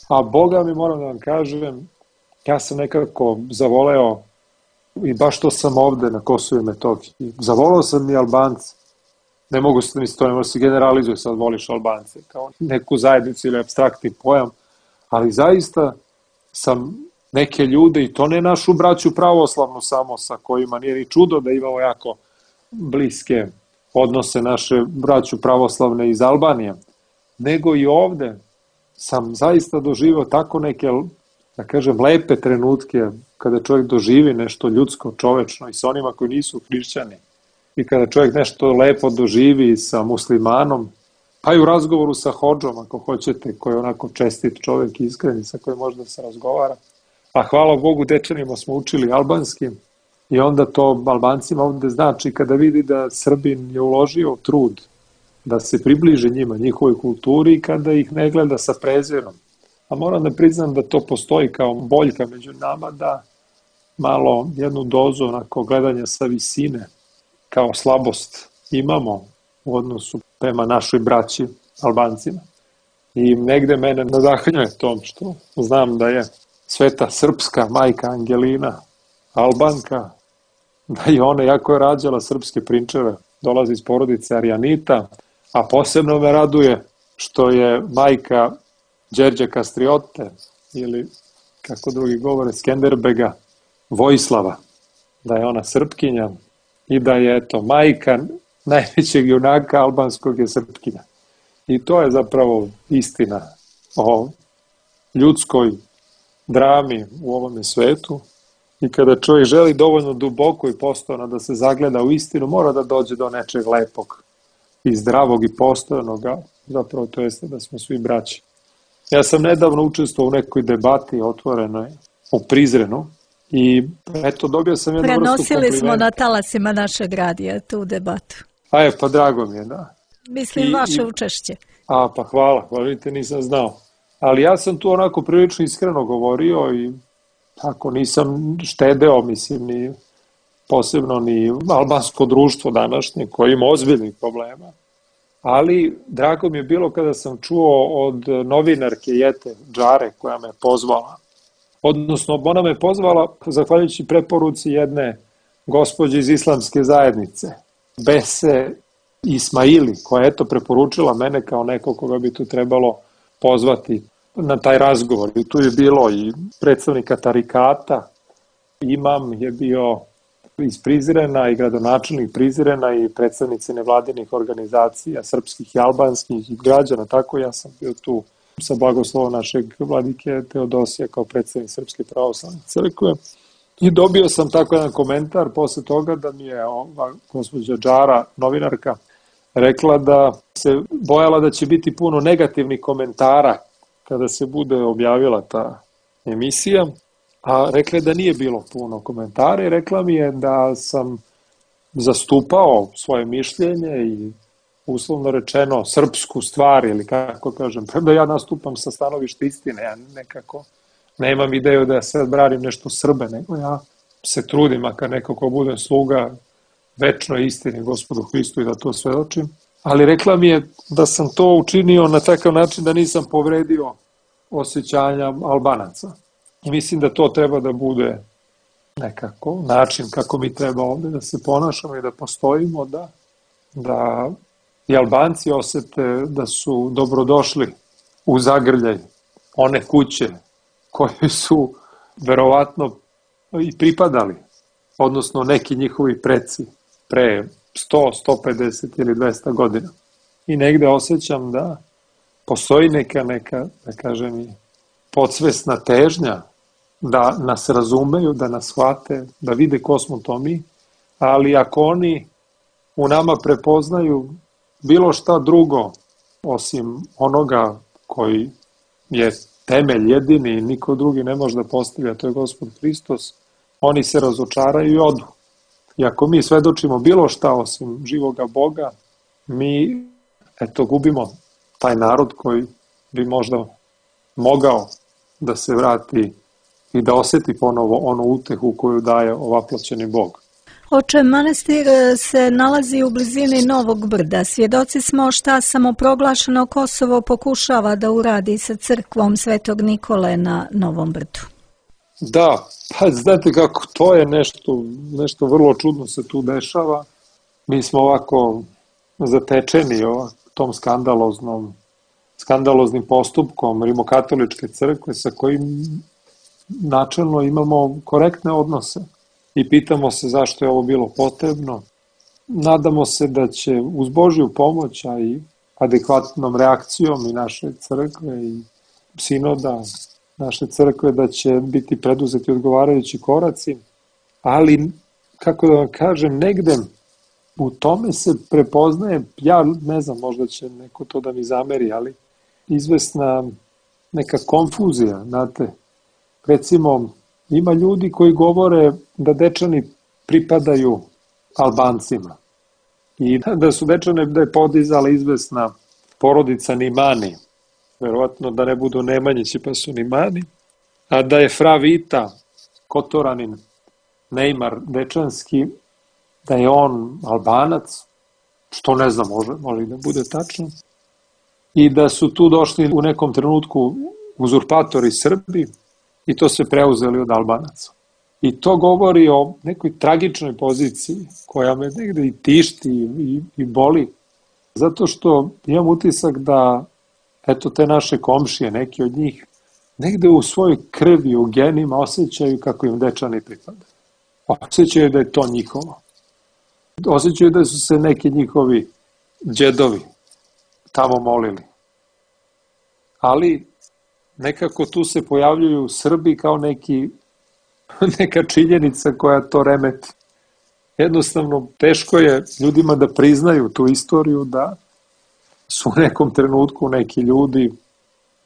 A Boga mi, moram da vam kažem, ja sam nekako zavoleo, i baš to sam ovde na Kosovu i Metohiji, zavoleo sam i Albance. Ne mogu se misliti, to ne može se generalizuje, sad voliš Albance kao neku zajednicu ili apstraktni pojam, ali zaista sam neke ljude, i to ne našu braću pravoslavnu samo, sa kojima nije ni čudo da imamo jako bliske odnose naše braću pravoslavne iz Albanije, nego i ovde sam zaista doživao tako neke, da kažem, lepe trenutke kada čovjek doživi nešto ljudsko, čovečno i sa onima koji nisu hrišćani, i kada čovjek nešto lepo doživi sa muslimanom, pa i u razgovoru sa hodžom, ako hoćete, koji je onako čestit čovjek, iskren, sa kojim možda se razgovara. A hvala Bogu, dečanima smo učili albanski i onda to Albancima ovde znači kada vidi da Srbin je uložio trud da se približi njima, njihovoj kulturi, i kada ih ne gleda sa prezirom. A moram da priznam da to postoji kao boljka među nama, da malo jednu dozu onako gledanja sa visine kao slabost imamo u odnosu prema našoj braći Albancima. I negde mene nadahnjuje tom što znam da je sveta srpska majka Angelina Albanka, da i ona, jako je rađala srpske prinčeve, dolazi iz porodice Arijanita, a posebno me raduje što je majka Đerđe Kastriote, ili kako drugi govore Skenderbega, Vojislava, da je ona Srpkinja i da je, eto, majka najvećeg junaka albanskog je Srpkinja. I to je zapravo istina o ljudskoj drami u ovome svetu. I kada čovjek želi dovoljno duboko i postojano da se zagleda u istinu, mora da dođe do nečeg lepog i zdravog i postojanoga, zapravo to jeste da smo svi braći. Ja sam nedavno učestvovao u nekoj debati otvorenoj u Prizrenu i eto dobio sam jednu vrstu komplimenta. Prenosili smo na talasima našeg radija tu debatu. A je, pa drago mi je, da. Mislim, I, vaše i, učešće. A, pa hvala, hvala, vidite, nisam znao. Ali ja sam tu onako prilično iskreno govorio i tako nisam štedeo, mislim, ni posebno ni albansko društvo današnje koje ima ozbiljnih problema. Ali drago mi je bilo kada sam čuo od novinarke Jete Džare koja me pozvala. Odnosno, ona me pozvala zahvaljujući preporuci jedne gospođe iz islamske zajednice, Bese Ismaili, koja je eto preporučila mene kao neko koga bi tu trebalo pozvati na taj razgovor. I tu je bilo i predstavnika tarikata, imam je bio iz Prizrena i gradonačelnik Prizrena i predstavnici nevladinih organizacija, srpskih i albanskih i građana, tako ja sam bio tu sa blagoslovom našeg vladike Teodosija kao predstavnik Srpske pravoslavne crkve. I dobio sam tako jedan komentar posle toga da mi je ova gospođa Džara, novinarka, rekla da se bojala da će biti puno negativnih komentara kada se bude objavila ta emisija, a rekla je da nije bilo puno komentara i rekla mi je da sam zastupao svoje mišljenje i uslovno rečeno srpsku stvar, ili kako kažem, da ja nastupam sa stanovišta istine, ja nekako nemam ideju da ja sad branim nešto Srbe, nego ja se trudim, makar neko ko budem sluga večnoj istini Gospodu Hristu i da to svedočim. Ali rekla mi je da sam to učinio na takav način da nisam povredio osjećanja Albanaca. I mislim da to treba da bude nekako način kako mi treba ovde da se ponašamo i da postojimo, da, da i Albanci osete da su dobrodošli u zagrljaj one kuće koje su verovatno i pripadali, odnosno neki njihovi preci pre sto, sto pedeset ili dvesta godina. I negde osjećam da postoji neka, neka, da kažem, i podsvesna težnja da nas razumeju, da nas shvate, da vide ko smo to mi, ali ako oni u nama prepoznaju bilo šta drugo osim onoga koji je temelj jedini i niko drugi ne može da postavlja, to je Gospod Hristos, oni se razočaraju i odu. I ako mi svedočimo bilo šta osim živoga Boga, mi eto gubimo taj narod koji bi možda mogao da se vrati i da oseti ponovo onu utehu koju daje ovaploćeni Bog. Oče, manastir se nalazi u blizini Novog Brda. Svjedoci smo šta samoproglašeno Kosovo pokušava da uradi sa crkvom Svetog Nikole na Novom Brdu. Da, pa znate kako, to je nešto, nešto vrlo čudno se tu dešava. Mi smo ovako zatečeni ovak, tom skandaloznom, skandaloznim postupkom Rimokatoličke crkve sa kojim načelno imamo korektne odnose. I pitamo se zašto je ovo bilo potrebno. Nadamo se da će uz Božju pomoć, a i adekvatnom reakcijom i naše crkve i sinoda naše crkve, da će biti preduzeti odgovarajući koraci, ali, kako da vam kažem, negde u tome se prepoznaje, ja ne znam, možda će neko to da mi zameri, ali izvesna neka konfuzija, znate. Recimo, ima ljudi koji govore da Dečani pripadaju Albancima i da su Dečane da je podizala izvesna porodica Nimani, verovatno da ne budu Nemanjići pa su Nimani, a da je fra Vita, Kotoranin, Neymar Dečanski, da je on Albanac, što ne znam, može, može i da bude tačno, i da su tu došli u nekom trenutku uzurpatori Srbi i to se preuzeli od Albanaca. I to govori o nekoj tragičnoj poziciji koja me negde i tišti i, i boli, zato što imam utisak da eto te naše komšije, neki od njih, negde u svojoj krvi, u genima osjećaju kako im Dečani pripadaju. Osjećaju da je to njihovo. Osjećaju da su se neki njihovi đedovi tamo molili. Ali nekako tu se pojavljuju Srbi kao neki, neka činjenica koja to remeti. Jednostavno, teško je ljudima da priznaju tu istoriju, da su u nekom trenutku neki ljudi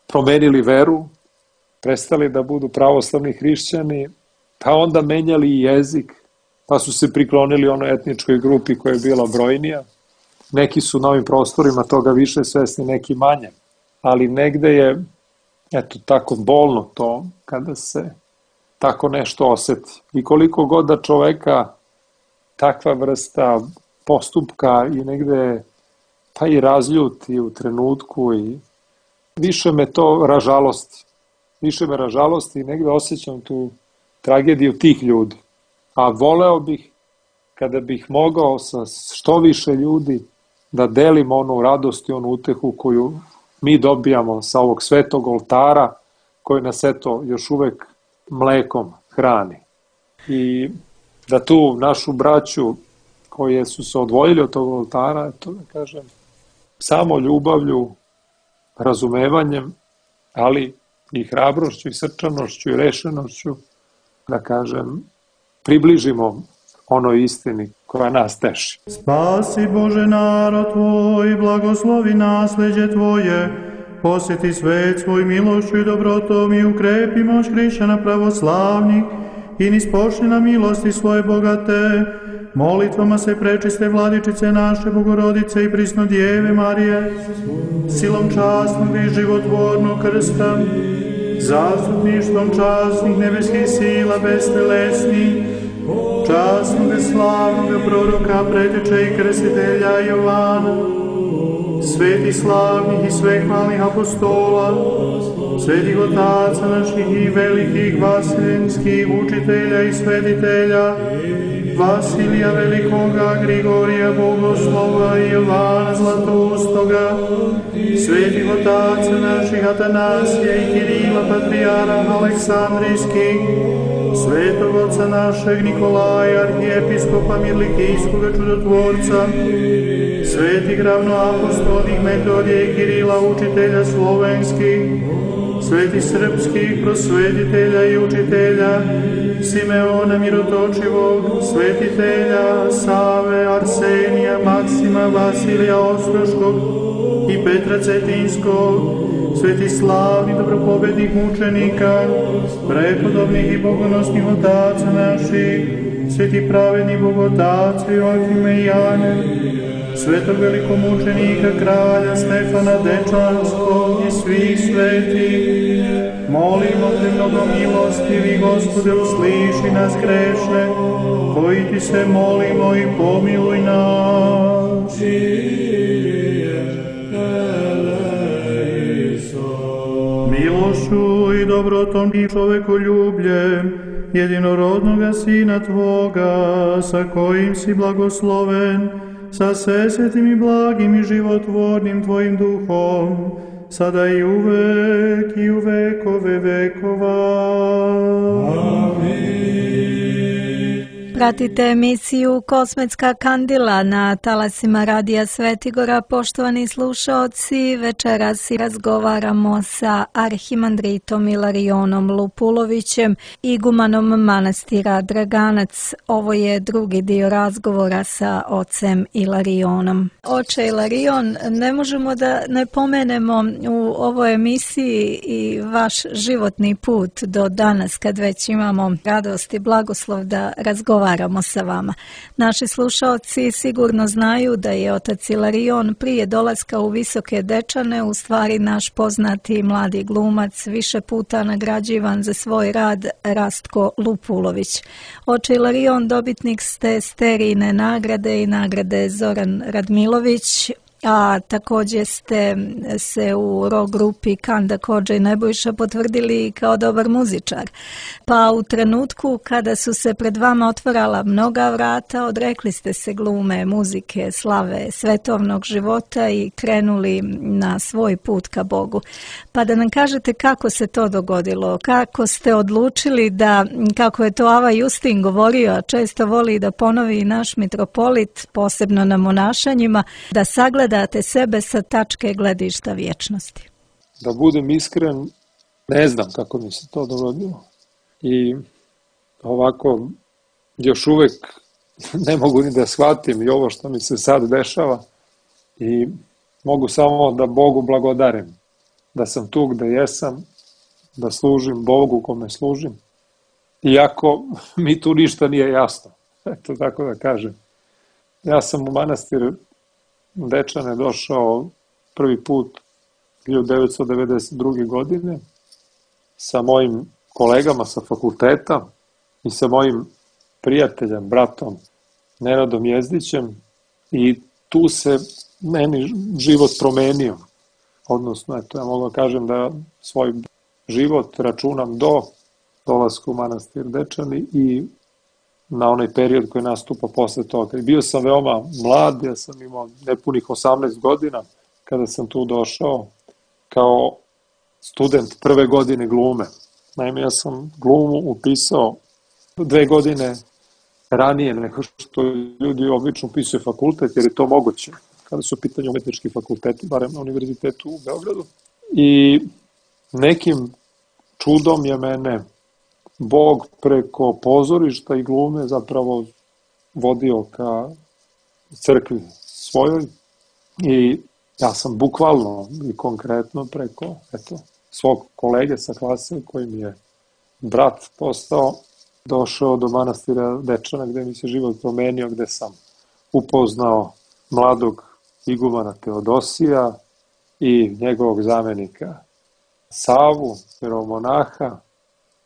promenili veru, prestali da budu pravoslavni hrišćani, pa onda menjali i jezik, pa su se priklonili onoj etničkoj grupi koja je bila brojnija. Neki su na ovim prostorima toga više svesni, neki manje, ali negde je eto tako bolno to kada se tako nešto oseti. I koliko god da čoveka takva vrsta postupka i negde pa i razljuti u trenutku i više me to ražalosti. Više me ražalosti i negde osjećam tu tragediju tih ljudi. A voleo bih kada bih mogao sa što više ljudi da delim onu radost i onu utehu koju mi dobijamo sa ovog svetog oltara koji nas eto još uvek mlekom hrani. I da tu našu braću koje su se odvojili od tog oltara, eto da kažem, samo ljubavlju, razumevanjem, ali i hrabrošću i srčanošću i rešenošću, da kažem, približimo onoj istini koja nas teši. Spasi Bože narod Tvoj, blagoslovi nasleđe Tvoje, posjeti svet svoj milošću i dobrotom i ukrepi moć hrišćana pravoslavnih i nispošli na milosti svoje bogate. Molitvama se prečiste vladičice naše Bogorodice i prisno Djeve Marije, silom časnog i životvornog krsta, zastupništvom časnih nebeskih sila bestelesnih, časnog i slavnog proroka, preteče i krstitelja Jovana, svetih slavnih i svehvalnih apostola, svetih otaca naših i velikih vaseljenskih učitelja i svetitelja, Vasilija Velikoga, Grigorija Bogoslova i Jovana Zlatoustoga, svetih otaca naših Atanasija i Kirila, patrijara Aleksandrijskih, svetog oca našeg Nikolaja, arhijepiskopa Mirlikijskoga čudotvorca, svetih ravnoapostolnih Metodija i Kirila, učitelja slovenskih, svetih srpskih prosvetitelja i učitelja, Simeona Mirotočivog, svetitelja Save, Arsenija, Maksima, Vasilija Ostroškog i Petra Cetinskog, sveti slavni dobropobednih mučenika, prepodobnih i bogonosnih otaca naših, sveti pravedni bogotaca Joakime i Jane, svetog velikomučenika kralja Stefana Dečanskog i svih svetih, molimo te mnogo milostivi, Gospode, usliši nas grešne, koji ti se molimo i pomiluj nas. Milošću i dobrotom i čovekoljubljem jedinorodnoga Sina Tvoga, sa kojim si blagosloven, sa svesvetim i blagim i životvornim Tvojim duhom, sada i uvek i u vekove vekova. Amin. Pratite emisiju Kosmetska kandila na talasima Radija Svetigora. Poštovani slušaoci, večeras razgovaramo sa arhimandritom Ilarionom Lupulovićem, igumanom manastira Draganac. Ovo je drugi dio razgovora sa ocem Ilarionom. Oče Ilarion, ne možemo da ne pomenemo u ovoj emisiji i vaš životni put do danas, kad već imamo radost i blagoslov da razgovaramo sa vama. Naši slušaoci sigurno znaju da je otac Ilarion prije dolaska u Visoke Dečane u stvari naš poznati mladi glumac, više puta nagrađivan za svoj rad, Rastko Lupulović. Oče Ilarion, dobitnik ste Sterijine nagrade i nagrade Zoran Radmilović, a također ste se u rock grupi Kanda Kodža i Nebojša potvrdili kao dobar muzičar. Pa u trenutku kada su se pred vama otvarala mnoga vrata, odrekli ste se glume, muzike, slave, svetovnog života i krenuli na svoj put ka Bogu. Pa da nam kažete kako se to dogodilo, kako ste odlučili da, kako je to Ava Justin govorio, a često voli da ponovi naš mitropolit, posebno na monašanjima, da sagleda date sebe sa tačke gledišta vječnosti. Da budem iskren, ne znam kako mi se to dogodilo. I ovako, još uvek ne mogu ni da shvatim i ovo što mi se sad dešava. I mogu samo da Bogu blagodarim. Da sam tu gde jesam, da služim Bogu kome služim. Iako mi tu ništa nije jasno. Eto tako da kažem. Ja sam u manastir Dečane došao prvi put hiljadu devetsto devedeset druge. godine sa mojim kolegama sa fakulteta i sa mojim prijateljem, bratom Nenadom Jezdićem, i tu se meni život promenio. Odnosno, eto, ja mogu da kažem da svoj život računam do dolaska u manastir Dečani i na onaj period koji nastupa posle toga. I bio sam veoma mlad, ja sam imao nepunih osamnaest godina kada sam tu došao kao student prve godine glume. Naime, ja sam glumu upisao dve godine ranije nego što ljudi obično upisuju fakultet, jer je to moguće kada su u pitanju umetnički fakulteti, barem na univerzitetu u Beogradu. I nekim čudom je mene Bog preko pozorišta i glume zapravo vodio ka crkvi svojoj i ja sam bukvalno i konkretno preko eto, svog kolege sa klase koji mi je brat postao, došao do manastira Dečana gde mi se život promenio, gde sam upoznao mladog igumana Teodosija i njegovog zamenika Savu, jeromonaha,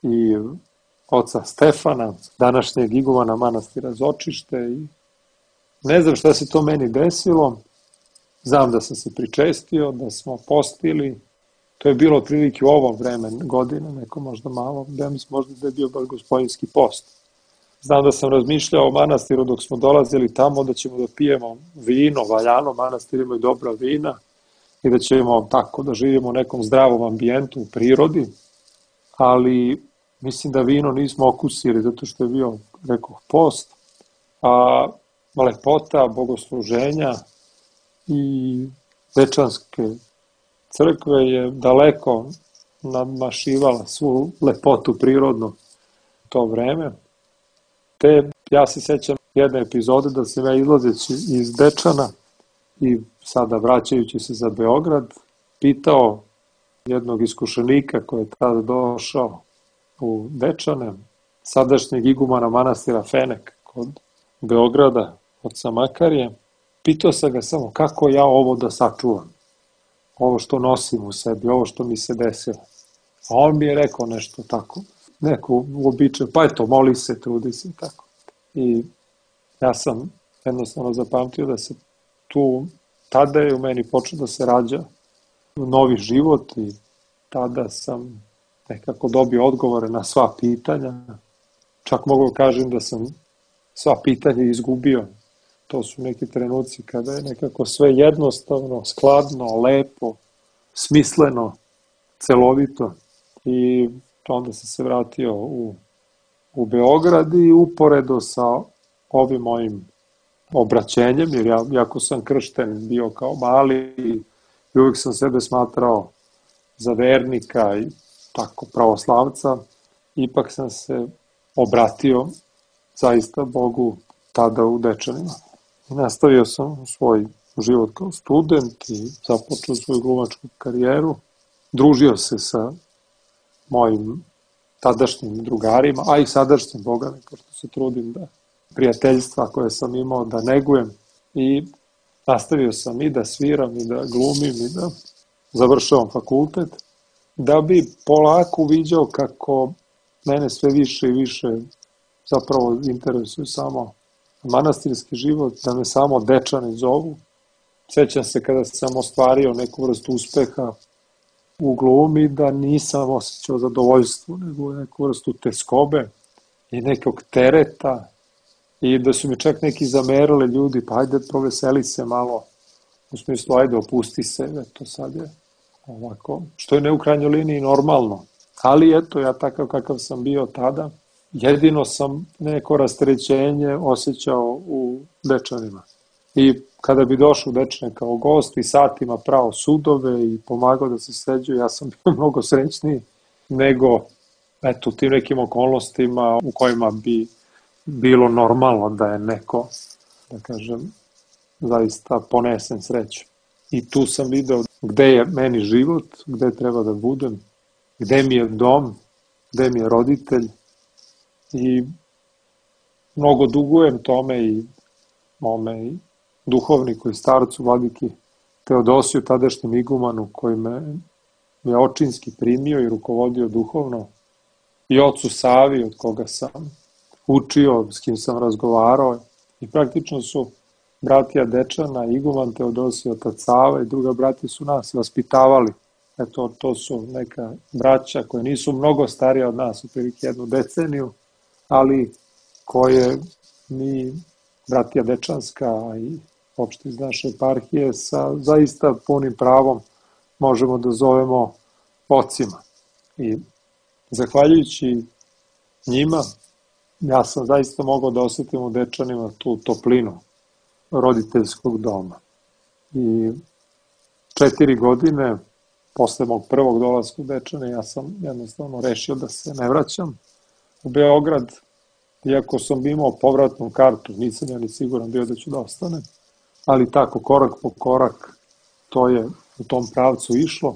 i oca Stefana, današnjeg igumana manastira Zočište. I ne znam šta se to meni desilo, znam da sam se pričestio, da smo postili, to je bilo otprilike u ovom vremenu godine, neko možda malo, da mislim možda da je bio baš gospodinski post. Znam da sam razmišljao o manastiru dok smo dolazili tamo, da ćemo da pijemo vino, valjano, manastir ima i dobra vina, i da ćemo tako da živimo u nekom zdravom ambijentu, u prirodi, ali mislim da vino nismo okusili zato što je bio, rekoh, post, a lepota bogosluženja i Dečanske crkve je daleko nadmašivala svu lepotu prirodnu to vreme. Te ja se sećam jedne epizode da sam ja izlazeći iz Dečana i sada vraćajući se za Beograd pitao jednog iskušenika koji je tada došao u Dečane, sadašnjeg igumana manastira Fenek kod Beograda, od Samakarije. Pitao sam ga samo kako ja ovo da sačuvam, ovo što nosim u sebi, ovo što mi se desilo. A on mi je rekao nešto tako, neko uobičaj, pa eto, moli se, trudi se, tako. I ja sam jednostavno zapamtio da se tu, tada je u meni počeo da se rađa novi život i tada sam nekako dobio odgovore na sva pitanja. Čak mogu kažem da sam sva pitanja izgubio. To su neki trenuci kada je nekako sve jednostavno, skladno, lepo, smisleno, celovito. I onda sam se vratio u, u Beograd i uporedo sa ovim mojim obraćenjem, jer ja, jako sam kršten bio kao mali i uvijek sam sebe smatrao za vernika i tako pravoslavca, ipak sam se obratio zaista Bogu tada u Dečanima. I nastavio sam svoj život kao student i započeo svoju glumačku karijeru. Družio se sa mojim tadašnjim drugarima, a i sadašnjim bogami, pošto se trudim da prijateljstva koje sam imao da negujem, i nastavio sam i da sviram i da glumim i da završavam fakultet, da bi polako uviđao kako mene sve više i više zapravo interesuje samo manastirski život, da me samo Dečani zovu. Sjećam se kada sam ostvario neku vrstu uspeha u glumi, da nisam osjećao zadovoljstvo, nego neku vrstu teskobe i nekog tereta, i da su mi čak neki zamerali ljudi, pa ajde proveseli se malo, u smislu ajde opusti se, eto sad je ovako, što je ne u krajnjoj liniji normalno, ali eto ja takav kakav sam bio tada, jedino sam neko rasterećenje osjećao u Dečanima. I kada bi došao u Dečane kao gost i satima pravo sudove i pomagao da se sređuje, ja sam bio mnogo srećniji nego eto, tim nekim okolnostima u kojima bi bilo normalno da je neko, da kažem, zaista ponesen sreću. I tu sam video gde je meni život, gde treba da budem, gde mi je dom, gde mi je roditelj, i mnogo dugujem tome i mome i duhovniku i starcu vladiki Teodosiju, tadašnjem igumanu, koji me je očinski primio i rukovodio duhovno, i ocu Savi, od koga sam učio, s kim sam razgovarao, i praktično su bratija Dečana, iguman Teodosij, otac Sava i druga bratija su nas vaspitavali. Eto, to su neka braća koje nisu mnogo starija od nas, otprilike jednu deceniju, ali koje mi, bratija Dečanska i opšte iz naše eparhije, sa zaista punim pravom možemo da zovemo ocima. I zahvaljujući njima, ja sam zaista mogao da osjetim u Dečanima tu toplinu roditeljskog doma. I četiri godine posle mog prvog dolaska u Dečane, ja sam jednostavno rešio da se ne vraćam u Beograd, iako sam imao povratnu kartu, nisam ja ni siguran bio da ću da ostanem, ali tako, korak po korak, to je u tom pravcu išlo.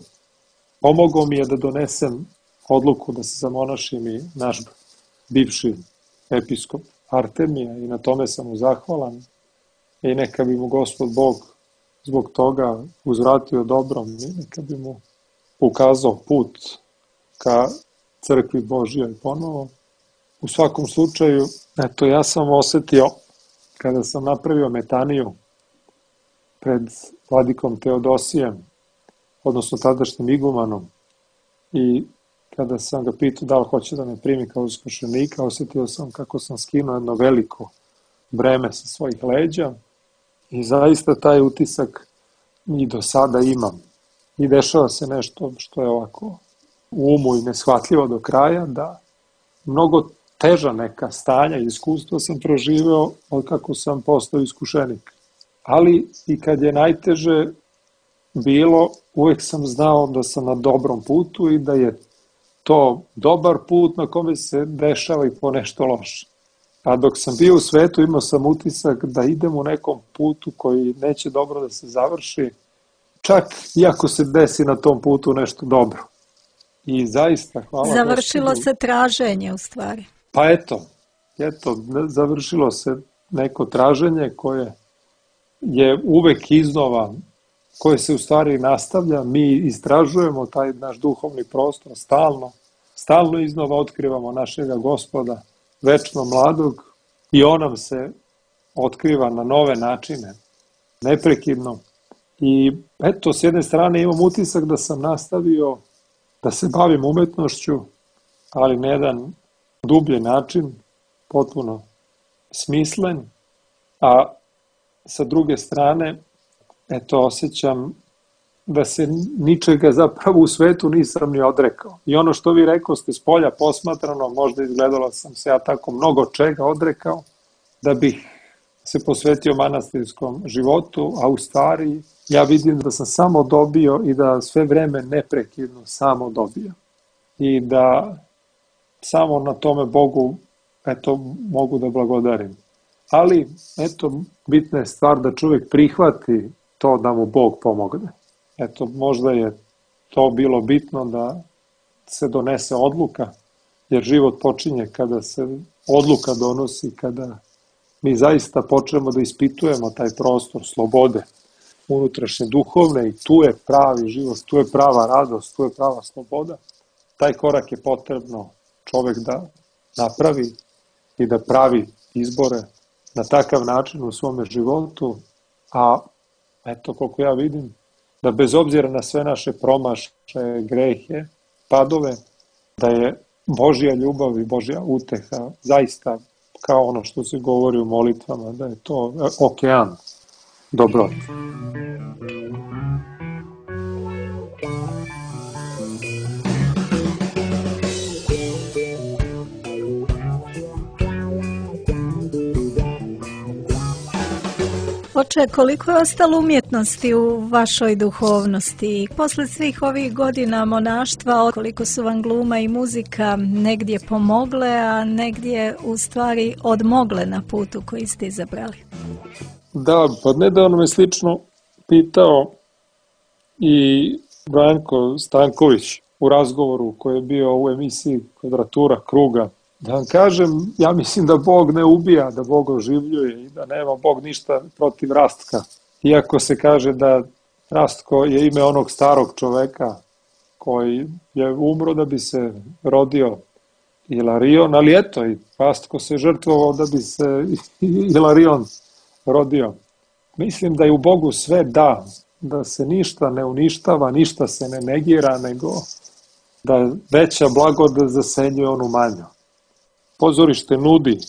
Pomogao mi je da donesem odluku da se zamonašim i naš bivši episkop Artemija, i na tome sam mu zahvalan, i neka bi mu Gospod Bog zbog toga uzvratio dobrom i neka bi mu ukazao put ka crkvi Božjoj ponovo. U svakom slučaju, eto, ja sam osetio kada sam napravio metaniju pred vladikom Teodosijem, odnosno tadašnjim igumanom, i kada sam ga pitao da li hoće da me primi kao iskušenika, osetio sam kako sam skinuo jedno veliko breme sa svojih leđa, i zaista taj utisak i do sada imam. I dešava se nešto što je ovako u umu i neshvatljivo do kraja, da mnogo teža neka stanja i iskustva sam proživeo od kako sam postao iskušenik. Ali i kad je najteže bilo, uvek sam znao da sam na dobrom putu i da je to dobar put na kome se dešava i po nešto loše. A dok sam bio u svetu, imao sam utisak da idem u nekom putu koji neće dobro da se završi. čak iako se desi na tom putu nešto dobro. I zaista, hvala Završilo Gospodu. se traženje u stvari. Pa eto, eto, završilo se neko traženje koje je uvek iznova, koje se u stvari nastavlja, mi istražujemo taj naš duhovni prostor stalno, stalno iznova otkrivamo našega Gospoda, večno mladog, i on nam se otkriva na nove načine, neprekidno. I eto, s jedne strane imam utisak da sam nastavio da se bavim umetnošću, ali na jedan dublji način, potpuno smislen, a sa druge strane, eto, osjećam da se ničega zapravo u svetu nisam ni odrekao. I ono što vi rekao ste s polja posmatrano, možda izgledalo sam se ja tako mnogo čega odrekao, da bih se posvetio manastirskom životu, a u stvari ja vidim da sam samo dobio i da sve vreme neprekidno samo dobio. I da samo na tome Bogu, eto, mogu da blagodarim. Ali, eto, bitna je stvar da čovjek prihvati to da mu Bog pomogne. Eto, možda je to bilo bitno da se donese odluka, jer život počinje kada se odluka donosi, kada mi zaista počnemo da ispitujemo taj prostor slobode, unutrašnje duhovne, i tu je pravi život, tu je prava radost, tu je prava sloboda. Taj korak je potrebno čovjek da napravi i da pravi izbore na takav način u svome životu, a eto, koliko ja vidim, da bez obzira na sve naše promašaje, grehe, padove, da je Božja ljubav i Božja uteha zaista, kao ono što se govori u molitvama, da je to okean dobroti. Oče, koliko je ostalo umjetnosti u vašoj duhovnosti? Posle svih ovih godina monaštva, koliko su vam gluma i muzika negdje pomogle, a negdje u stvari odmogle na putu koji ste izabrali? Da, pa nedavno me slično pitao i Branko Stanković u razgovoru koji je bio u emisiji Kvadratura kruga. Da vam kažem, ja mislim da Bog ne ubija, da Bog oživljuje i da nema Bog ništa protiv Rastka. Iako se kaže da Rastko je ime onog starog čoveka koji je umro da bi se rodio Ilarion, ali eto, i Rastko se žrtvovao da bi se Ilarion rodio. Mislim da je u Bogu sve da, da se ništa ne uništava, ništa se ne negira, nego da veća blagodat zasenjuje onu manju. Pozorište nudi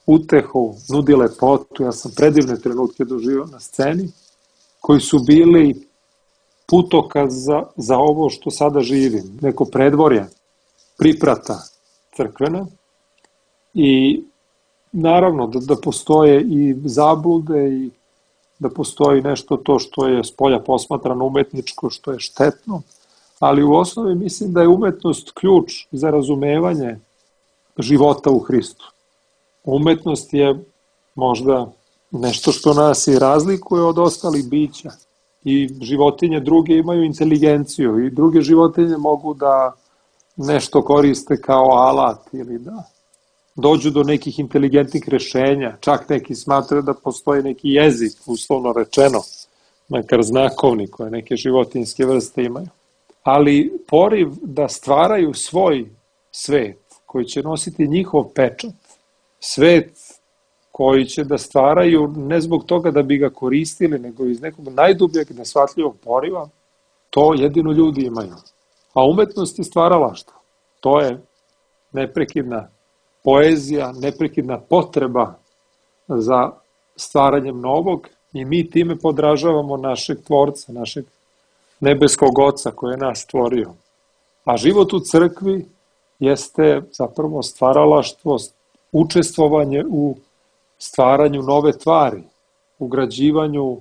utehu, nudi lepotu. Ja sam predivne trenutke doživio na sceni, koji su bili putokaz za, za ovo što sada živim. Neko predvorje, priprata crkvena, i naravno da, da postoje i zablude i da postoji nešto to što je spolja posmatrano umetničko, što je štetno, ali u osnovi mislim da je umetnost ključ za razumevanje života u Hristu. Umetnost je možda nešto što nas i razlikuje od ostalih bića, i životinje druge imaju inteligenciju i druge životinje mogu da nešto koriste kao alat ili da dođu do nekih inteligentnih rešenja. Čak neki smatraju da postoji neki jezik, uslovno rečeno, makar znakovni, koje neke životinjske vrste imaju. Ali poriv da stvaraju svoj svet koji će nositi njihov pečat, svet koji će da stvaraju ne zbog toga da bi ga koristili, nego iz nekog najdubljeg neshvatljivog poriva, to jedino ljudi imaju. A umetnost je stvaralaštvo. To je neprekidna poezija, neprekidna potreba za stvaranjem novog, i mi time podražavamo našeg tvorca, našeg nebeskog oca koji je nas stvorio. A život u crkvi jeste zapravo stvaralaštvo, učestvovanje u stvaranju nove tvari, ugrađivanju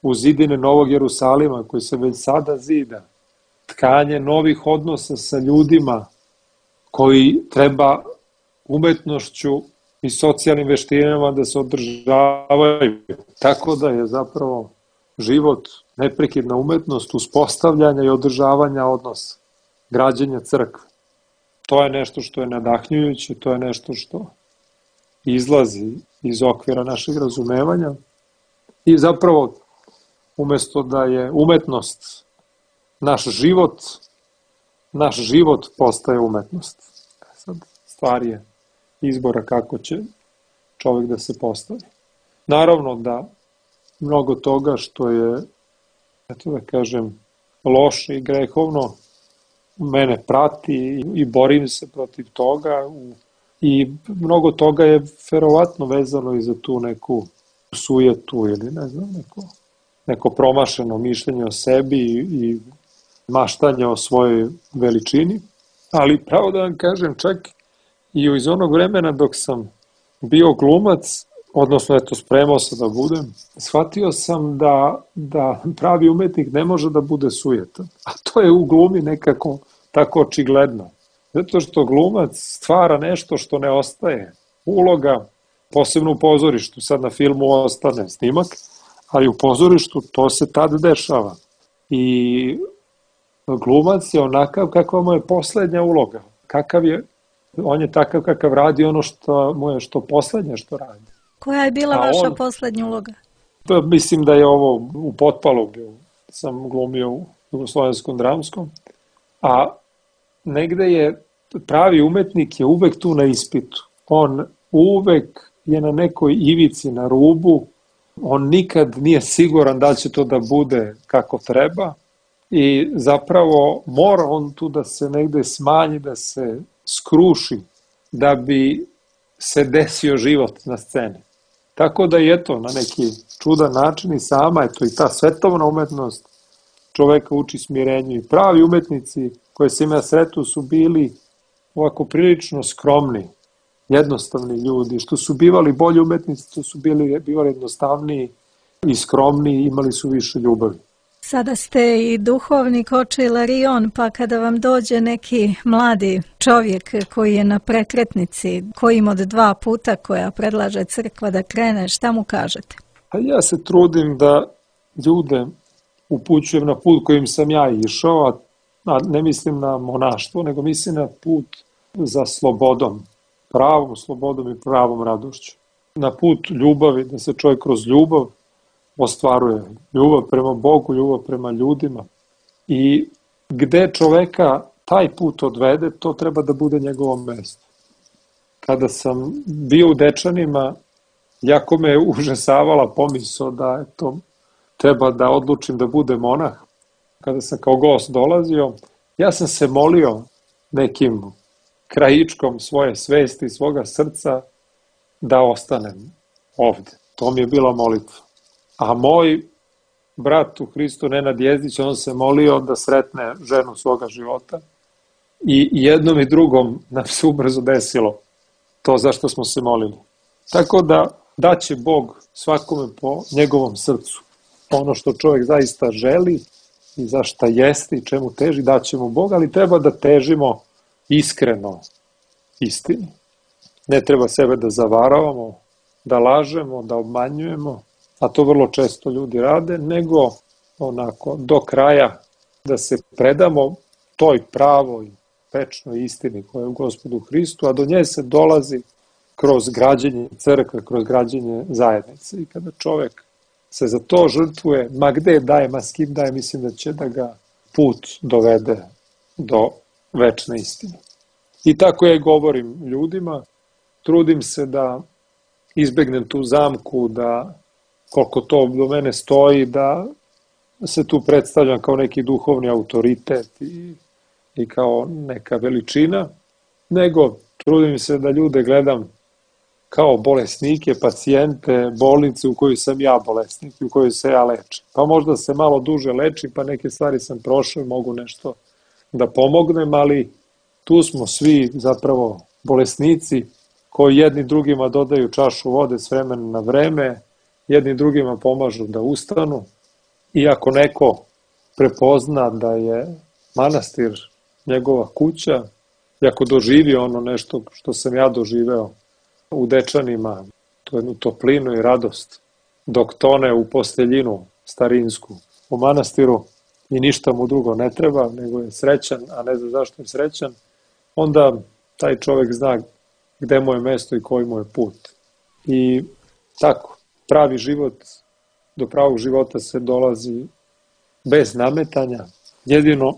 u zidine Novog Jerusalima koji se već sada zida, tkanje novih odnosa sa ljudima koji treba umetnošću i socijalnim veštinama da se održavaju. Tako da je zapravo život neprekidna umetnost uspostavljanja i održavanja odnosa, građenja crkve. To je nešto što je nadahnjujuće, to je nešto što izlazi iz okvira našeg razumevanja i zapravo umesto da je umetnost naš život, naš život postaje umetnost. Sad stvar je izbora kako će čovjek da se postavi. Naravno da mnogo toga što je, eto da kažem, loše i grehovno, mene prati i borim se protiv toga i mnogo toga je verovatno vezano i za tu neku sujetu ili ne znam, neko, neko promašeno mišljenje o sebi i maštanje o svojoj veličini, ali pravo da vam kažem, čak i iz onog vremena dok sam bio glumac, odnosno eto spremao se da budem, shvatio sam da, da pravi umetnik ne može da bude sujetan, a to je u glumi nekako tako očigledno. Zato što glumac stvara nešto što ne ostaje. Uloga, posebno u pozorištu, sad na filmu ostane snimak, ali u pozorištu to se tad dešava. I glumac je onakav kakva mu je poslednja uloga. Kakav je, on je takav kakav radi ono što mu je što poslednje što radi. Koja je bila A vaša on, poslednja uloga? Pa, mislim da je ovo u Potpalu bio. Sam glumio u Jugoslovenskom dramskom. A negde je pravi umetnik je uvek tu na ispitu. On uvek je na nekoj ivici, na rubu. On nikad nije siguran da će to da bude kako treba. I zapravo mora on tu da se negde smanji, da se skruši, da bi se desio život na sceni. Tako da je to na neki čudan način i sama, eto i ta svetovna umetnost čoveka uči smirenju i pravi umetnici koje sam ja sretao su bili ovako prilično skromni, jednostavni ljudi, što su bivali bolji umetnici, to su bili, bivali jednostavniji i skromniji, imali su više ljubavi. Sada ste i duhovnik oče Ilarion, pa kada vam dođe neki mladi čovjek koji je na prekretnici, kojim od dva puta koja predlaže crkva da krene, šta mu kažete? A ja se trudim da ljude upućujem na put kojim sam ja išao, a ne mislim na monaštvo, nego mislim na put za slobodom, pravom slobodom i pravom radošću. Na put ljubavi, da se čovjek kroz ljubav ostvaruje. Ljubav prema Bogu, ljubav prema ljudima. I gde čoveka taj put odvede, to treba da bude njegovo mesto. Kada sam bio u Dečanima, jako me užasavala pomisao da eto, treba da odlučim da bude monah. Kada sam kao gost dolazio, ja sam se molio nekim krajičkom svoje svesti, svoga srca, da ostanem ovde. To mi je bila molitva. A moj brat u Hristu, Nenad Jezdić, on se molio da sretne ženu svoga života i jednom i drugom nam se ubrzo desilo to zašto smo se molili. Tako da daće Bog svakome po njegovom srcu. Ono što čovjek zaista želi i za šta jeste i čemu teži, daće mu Bog, ali treba da težimo iskreno istini. Ne treba sebe da zavaravamo, da lažemo, da obmanjujemo, a to vrlo često ljudi rade, nego onako do kraja da se predamo toj pravoj, večnoj istini koja je u Gospodu Hristu, a do nje se dolazi kroz građenje crkve, kroz građenje zajednice. I kada čovjek se za to žrtvuje, ma gde daje, ma s kim daje, mislim da će da ga put dovede do večne istine. I tako ja govorim ljudima, trudim se da izbegnem tu zamku, da koliko to do mene stoji, da se tu predstavljam kao neki duhovni autoritet i, i kao neka veličina, nego trudim se da ljude gledam kao bolesnike, pacijente, bolnice u kojoj sam ja bolesnik, u kojoj se ja lečim. Pa možda se malo duže lečim, pa neke stvari sam prošao, mogu nešto da pomognem, ali tu smo svi zapravo bolesnici koji jedni drugima dodaju čašu vode s vremena na vreme, jedni drugima pomažu da ustanu i ako neko prepozna da je manastir njegova kuća, i ako doživi ono nešto što sam ja doživeo u Dečanima, to jednu toplinu i radost, dok tone u posteljinu starinsku, u manastiru i ništa mu drugo ne treba, nego je srećan, a ne zna zašto je srećan, onda taj čovjek zna gde mu je mesto i koji mu je put. I tako, pravi život, do pravog života se dolazi bez nametanja, jedino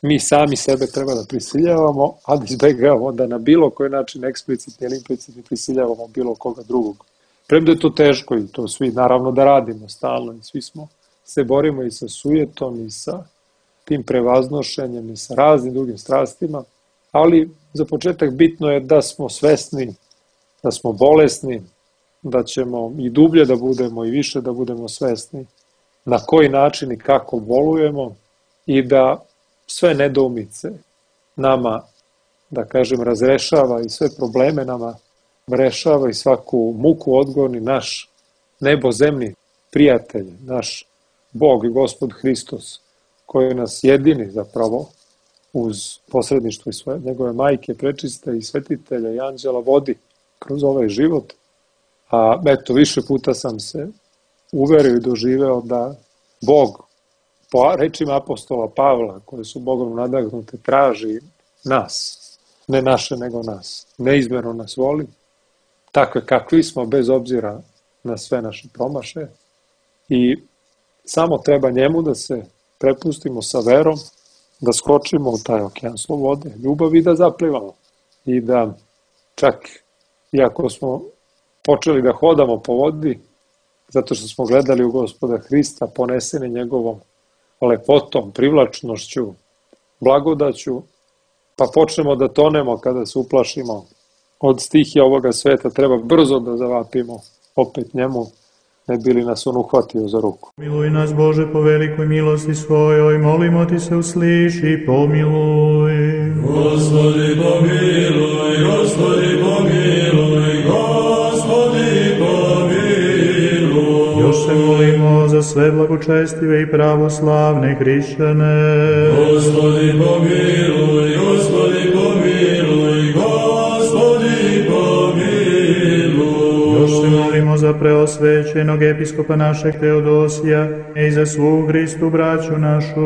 mi sami sebe treba da prisiljavamo, a da izbegavamo da na bilo koji način eksplicitni ili implicitni prisiljavamo bilo koga drugog. Premda je to teško i to svi naravno da radimo stalno i svi smo se borimo i sa sujetom i sa tim prevaznošenjem i sa raznim drugim strastima, ali za početak bitno je da smo svesni, da smo bolesni, da ćemo i dublje da budemo i više da budemo svesni na koji način i kako bolujemo i da sve nedoumice nama, da kažem, razrešava i sve probleme nama rešava i svaku muku odgoni naš nebozemni prijatelj, naš Bog i Gospod Hristos, koji nas jedini zapravo uz posredništvo i svoje njegove majke, prečiste i svetitelja i anđela vodi kroz ovaj život. A eto, više puta sam se uverio i doživeo da Bog, po rečima apostola Pavla, koje su Bogom nadahnute, traži nas, ne naše nego nas, neizmjerno nas voli, takve kakvi smo, bez obzira na sve naše promaše, i samo treba njemu da se prepustimo sa verom, da skočimo u taj okean slobode, ljubavi i da zaplivamo. I da čak, iako smo počeli da hodamo po vodi, zato što smo gledali u Gospoda Hrista, poneseni njegovom lepotom, privlačnošću, blagodaću, pa počnemo da tonemo kada se uplašimo od stihija ovoga sveta, treba brzo da zavapimo opet njemu, ne bi li nas on uhvatio za ruku. Miluj nas, Bože, po velikoj milosti svojoj, molimo ti se, usliši, pomiluj. Gospodi pomiluj, Gospodi pomiluj, Gospodi pomiluj. Još se molimo za sve blagočestive i pravoslavne hrišćane. Gospodi pomiluj, Gospodi pomiluj, Gospodi pomiluj. Još se molimo za preosvećenog episkopa našeg Teodosija i za svu Hristu braću našu.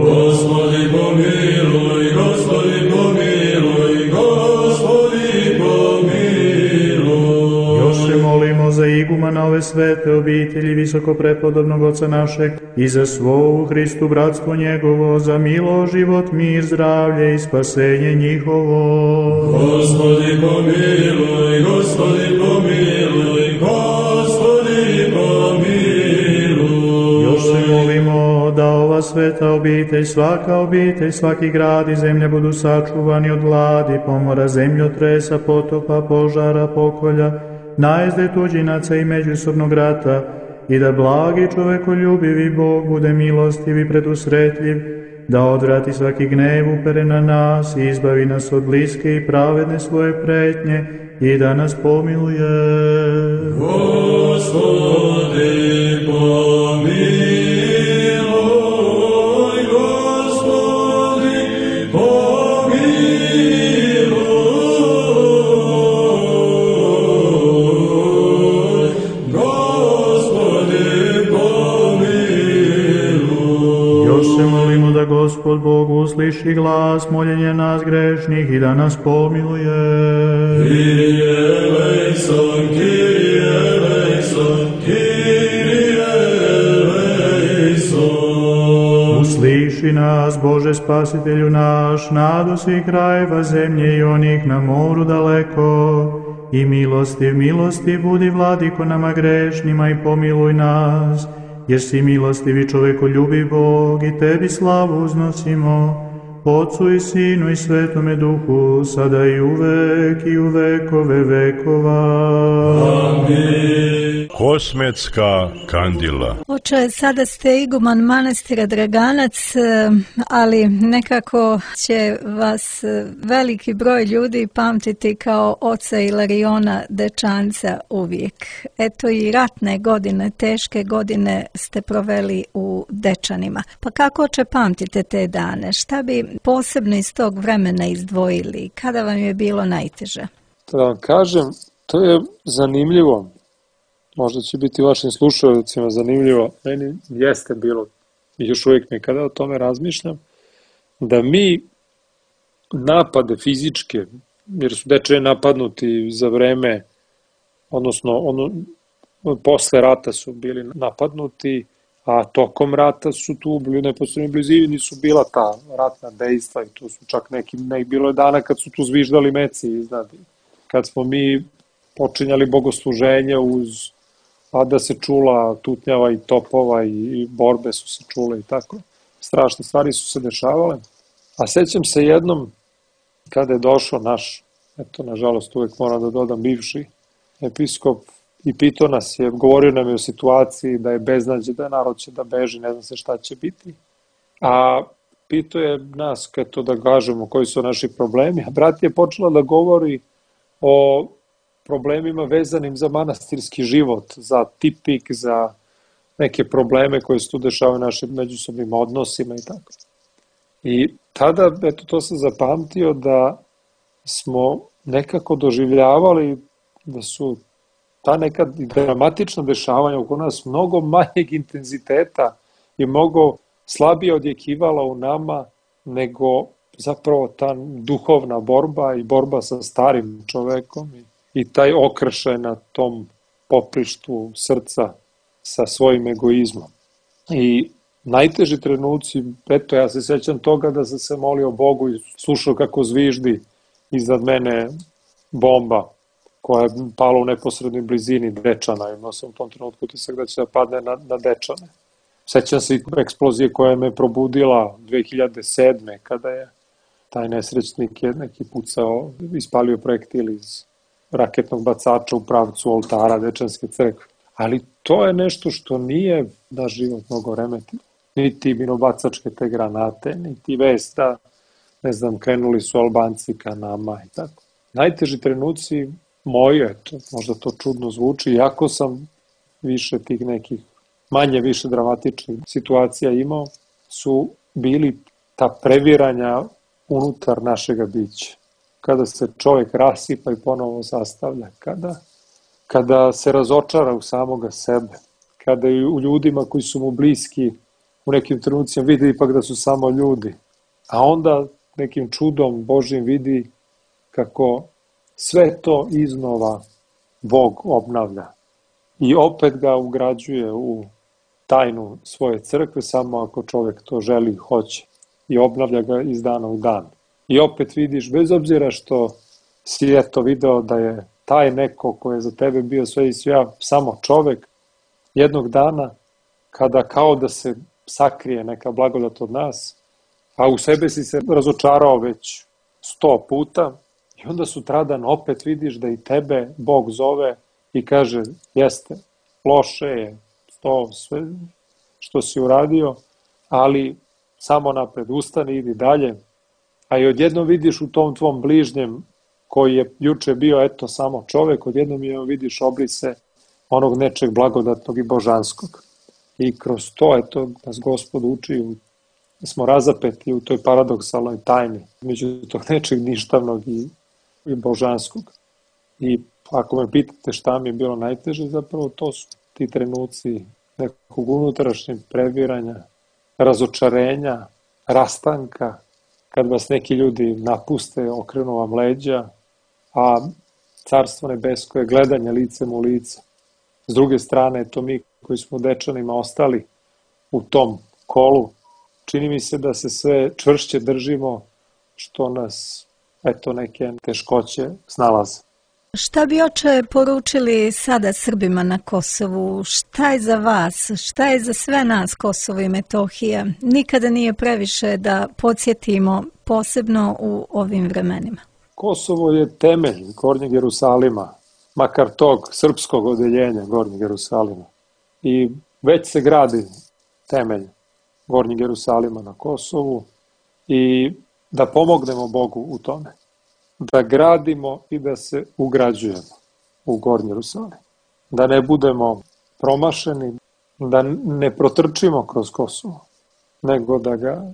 Gospodi pomiluj, Gospodi pomiluj, Gospodi pomiluj. Još se molimo za igumana ove svete obitelji visokoprepodobnog oca našeg i za svo u Hristu bratstvo njegovo, za milo, život, mir, zdravlje i spasenje njihovo. Gospodi pomiluj, Gospodi pomiluj, Gospodi pomiluj. Još se molimo da ova sveta obitelj, svaka obitelj, svaki grad i zemlja budu sačuvani od gladi, pomora, zemljotresa, potopa, požara, pokolja, najezde tuđinaca i međusobnog rata, i da blagi čovekoljubivi Bog bude milostiv i predusretljiv, da odvrati svaki gnev upere na nas i izbavi nas od bliske i pravedne svoje pretnje i da nas pomiluje. Gospodi pomiluj, Gospodi pomiluj, Gospodi pomiluj. Još se molimo da Gospod Bog usliši glas moljenja nas grešnih i da nas pomiluje. Kyrie eleison, Kyrie eleison, Kyrie eleison. Usliši nas, Bože spasitelju naš, nado svih krajeva zemlje i onih na moru daleko, i milostiv, milostiv budi, Vladiko, nama grešnima, i pomiluj nas, jer si milostiv i čovekoljubiv Bog, i tebi slavu uznosimo, Otcu i Sinu i Svetome Duhu, sada i uvek i u vekove vekova. Amin. Kosmetska kandila. Oče, sada ste iguman manastira Draganac, ali nekako će vas veliki broj ljudi pamtiti kao oca Ilariona Dečanca uvijek. Eto, i ratne godine, teške godine ste proveli u Dečanima. Pa kako, oče, pamtite te dane? Šta bi posebno iz tog vremena izdvojili? Kada vam je bilo najteže? Da vam kažem, to je zanimljivo. Možda će biti vašim slušaocima zanimljivo. Meni jeste bilo i još uvijek mi kada o tome razmišljam, da mi napade fizičke, jer su dečani napadnuti za vreme, odnosno ono, posle rata su bili napadnuti, a tokom rata su tu bili u neposrednoj blizini, su bila ta ratna dejstva i tu su čak neki, nek bilo je dana kad su tu zviždali meci iznad. Kad smo mi počinjali bogosluženje uz, a da se čula tutnjava i topova i, i borbe su se čule i tako. Strašne stvari su se dešavale. A sećam se jednom kada je došao naš, eto nažalost uvek moram da dodam, bivši episkop, i pitao nas je, govorio nam je o situaciji da je beznađe, da je narod će da beži, ne znam se šta će biti. A pitao je nas, eto da kažemo koji su naši problemi, a brat je počela da govori o problemima vezanim za manastirski život, za tipik, za neke probleme koje se tu dešavaju našim međusobnim odnosima i tako. I tada, eto to sam zapamtio da smo nekako doživljavali da su ta neka dramatična dešavanja oko nas mnogo manjeg intenziteta i mnogo slabije odjekivala u nama nego zapravo ta duhovna borba i borba sa starim čovekom i, i taj okršaj na tom poprištu srca sa svojim egoizmom. I najteži trenuci, eto ja se sećam toga da sam se molio Bogu i slušao kako zviždi iznad mene bomba koja je pala u neposrednoj blizini Dečana. Imao sam u tom trenutku utisak da će da padne na, na Dečane. Sećam se i eksplozije koja me probudila dve hiljade sedme kada je taj nesrećnik je neki pucao, ispalio projektil iz raketnog bacača u pravcu oltara Dečanske crkve. Ali to je nešto što nije da život mnogo remetilo. Niti minobacačke te granate, niti vest da, ne znam, krenuli su Albanci ka nama i tako. Najteži trenuci moje, to, možda to čudno zvuči, iako sam više tih nekih manje više dramatičnih situacija imao, su bili ta previranja unutar našega bića. Kada se čovjek rasipa i ponovo sastavlja, kada, kada se razočara u samoga sebe, kada i u ljudima koji su mu bliski u nekim trenucima vidi ipak da su samo ljudi, a onda nekim čudom Božjim vidi kako sve to iznova Bog obnavlja i opet ga ugrađuje u tajnu svoje crkve samo ako čovjek to želi i hoće i obnavlja ga iz dana u dan. I opet vidiš, bez obzira što si eto video da je taj neko koji je za tebe bio sve i svija samo čovjek, jednog dana kada kao da se sakrije neka blagodat od nas, a u sebe si se razočarao već sto puta i onda sutradan opet vidiš da i tebe Bog zove i kaže jeste, loše je to sve što si uradio, ali samo napred, ustani, idi dalje, a i odjednom vidiš u tom tvom bližnjem koji je juče bio eto samo čovjek, odjednom je vidiš obrise onog nečeg blagodatnog i božanskog. I kroz to eto nas Gospod uči, smo razapeti u toj paradoksalnoj tajni među tog nečeg ništavnog i, i božanskog. I ako me pitate šta mi je bilo najteže, zapravo to su ti trenuci nekog unutrašnjeg previranja, razočarenja, rastanka, kad vas neki ljudi napuste, okrenu vam leđa, a Carstvo nebesko je gledanje licem u lice. S druge strane, to mi koji smo Dečanima ostali u tom kolu, čini mi se da se sve čvršće držimo što nas, eto, neke teškoće snalaze. Šta bi, oče, poručili sada Srbima na Kosovu? Šta je za vas? Šta je za sve nas Kosovo i Metohija? Nikada nije previše da podsjetimo, posebno u ovim vremenima. Kosovo je temelj Gornjeg Jerusalima, makar tog srpskog odeljenja Gornjeg Jerusalima. I već se gradi temelj Gornjeg Jerusalima na Kosovu i da pomognemo Bogu u tome. Da gradimo i da se ugrađujemo u Gornji Jerusalim. Da ne budemo promašeni, da ne protrčimo kroz Kosovo, nego da ga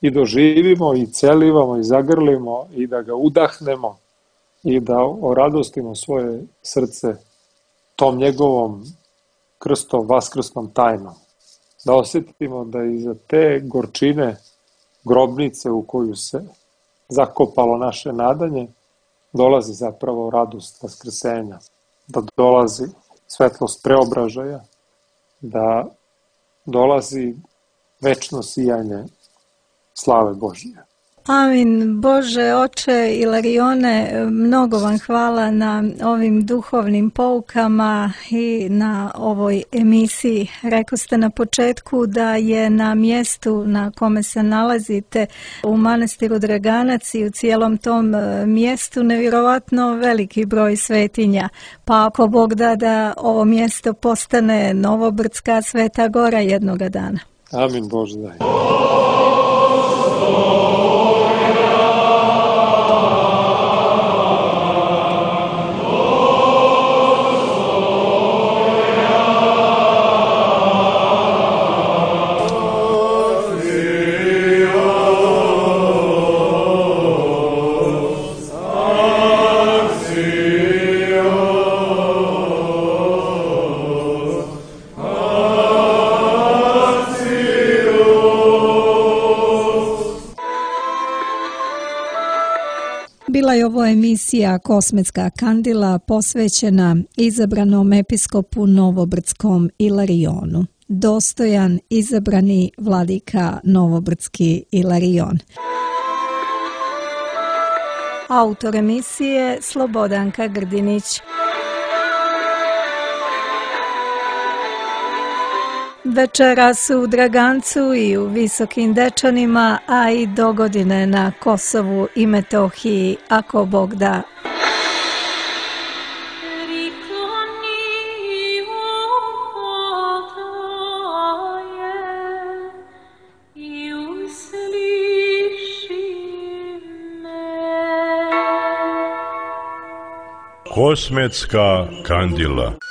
i doživimo i celivamo i zagrlimo i da ga udahnemo i da oradostimo svoje srce tom njegovom krstom, vaskrsnom tajnom. da osjetimo da iza te gorčine grobnice u koju se zakopalo naše nadanje, dolazi zapravo radost vaskrsenja, da dolazi svetlost preobražaja, da dolazi večno sijanje slave Božje. Amin. Bože, oče Ilarione, mnogo vam hvala na ovim duhovnim poukama i na ovoj emisiji. Rekli ste na početku da je na mjestu na kome se nalazite u manastiru Draganac i u cijelom tom mjestu nevjerovatno veliki broj svetinja. Pa ako Bog da da ovo mjesto postane Novobrdska Sveta Gora jednoga dana. Amin, Bože daj. Bila je ovo emisija Kosmetska kandila posvećena izabranom episkopu Novobrdskom Ilarionu. Dostojan izabrani vladika Novobrdski Ilarion. Autor emisije Slobodanka Grdinić. Večeras u Dragancu i u Visokim Dečanima, a i dogodine na Kosovu i Metohiji, ako Bog da. Kosmetska kandila.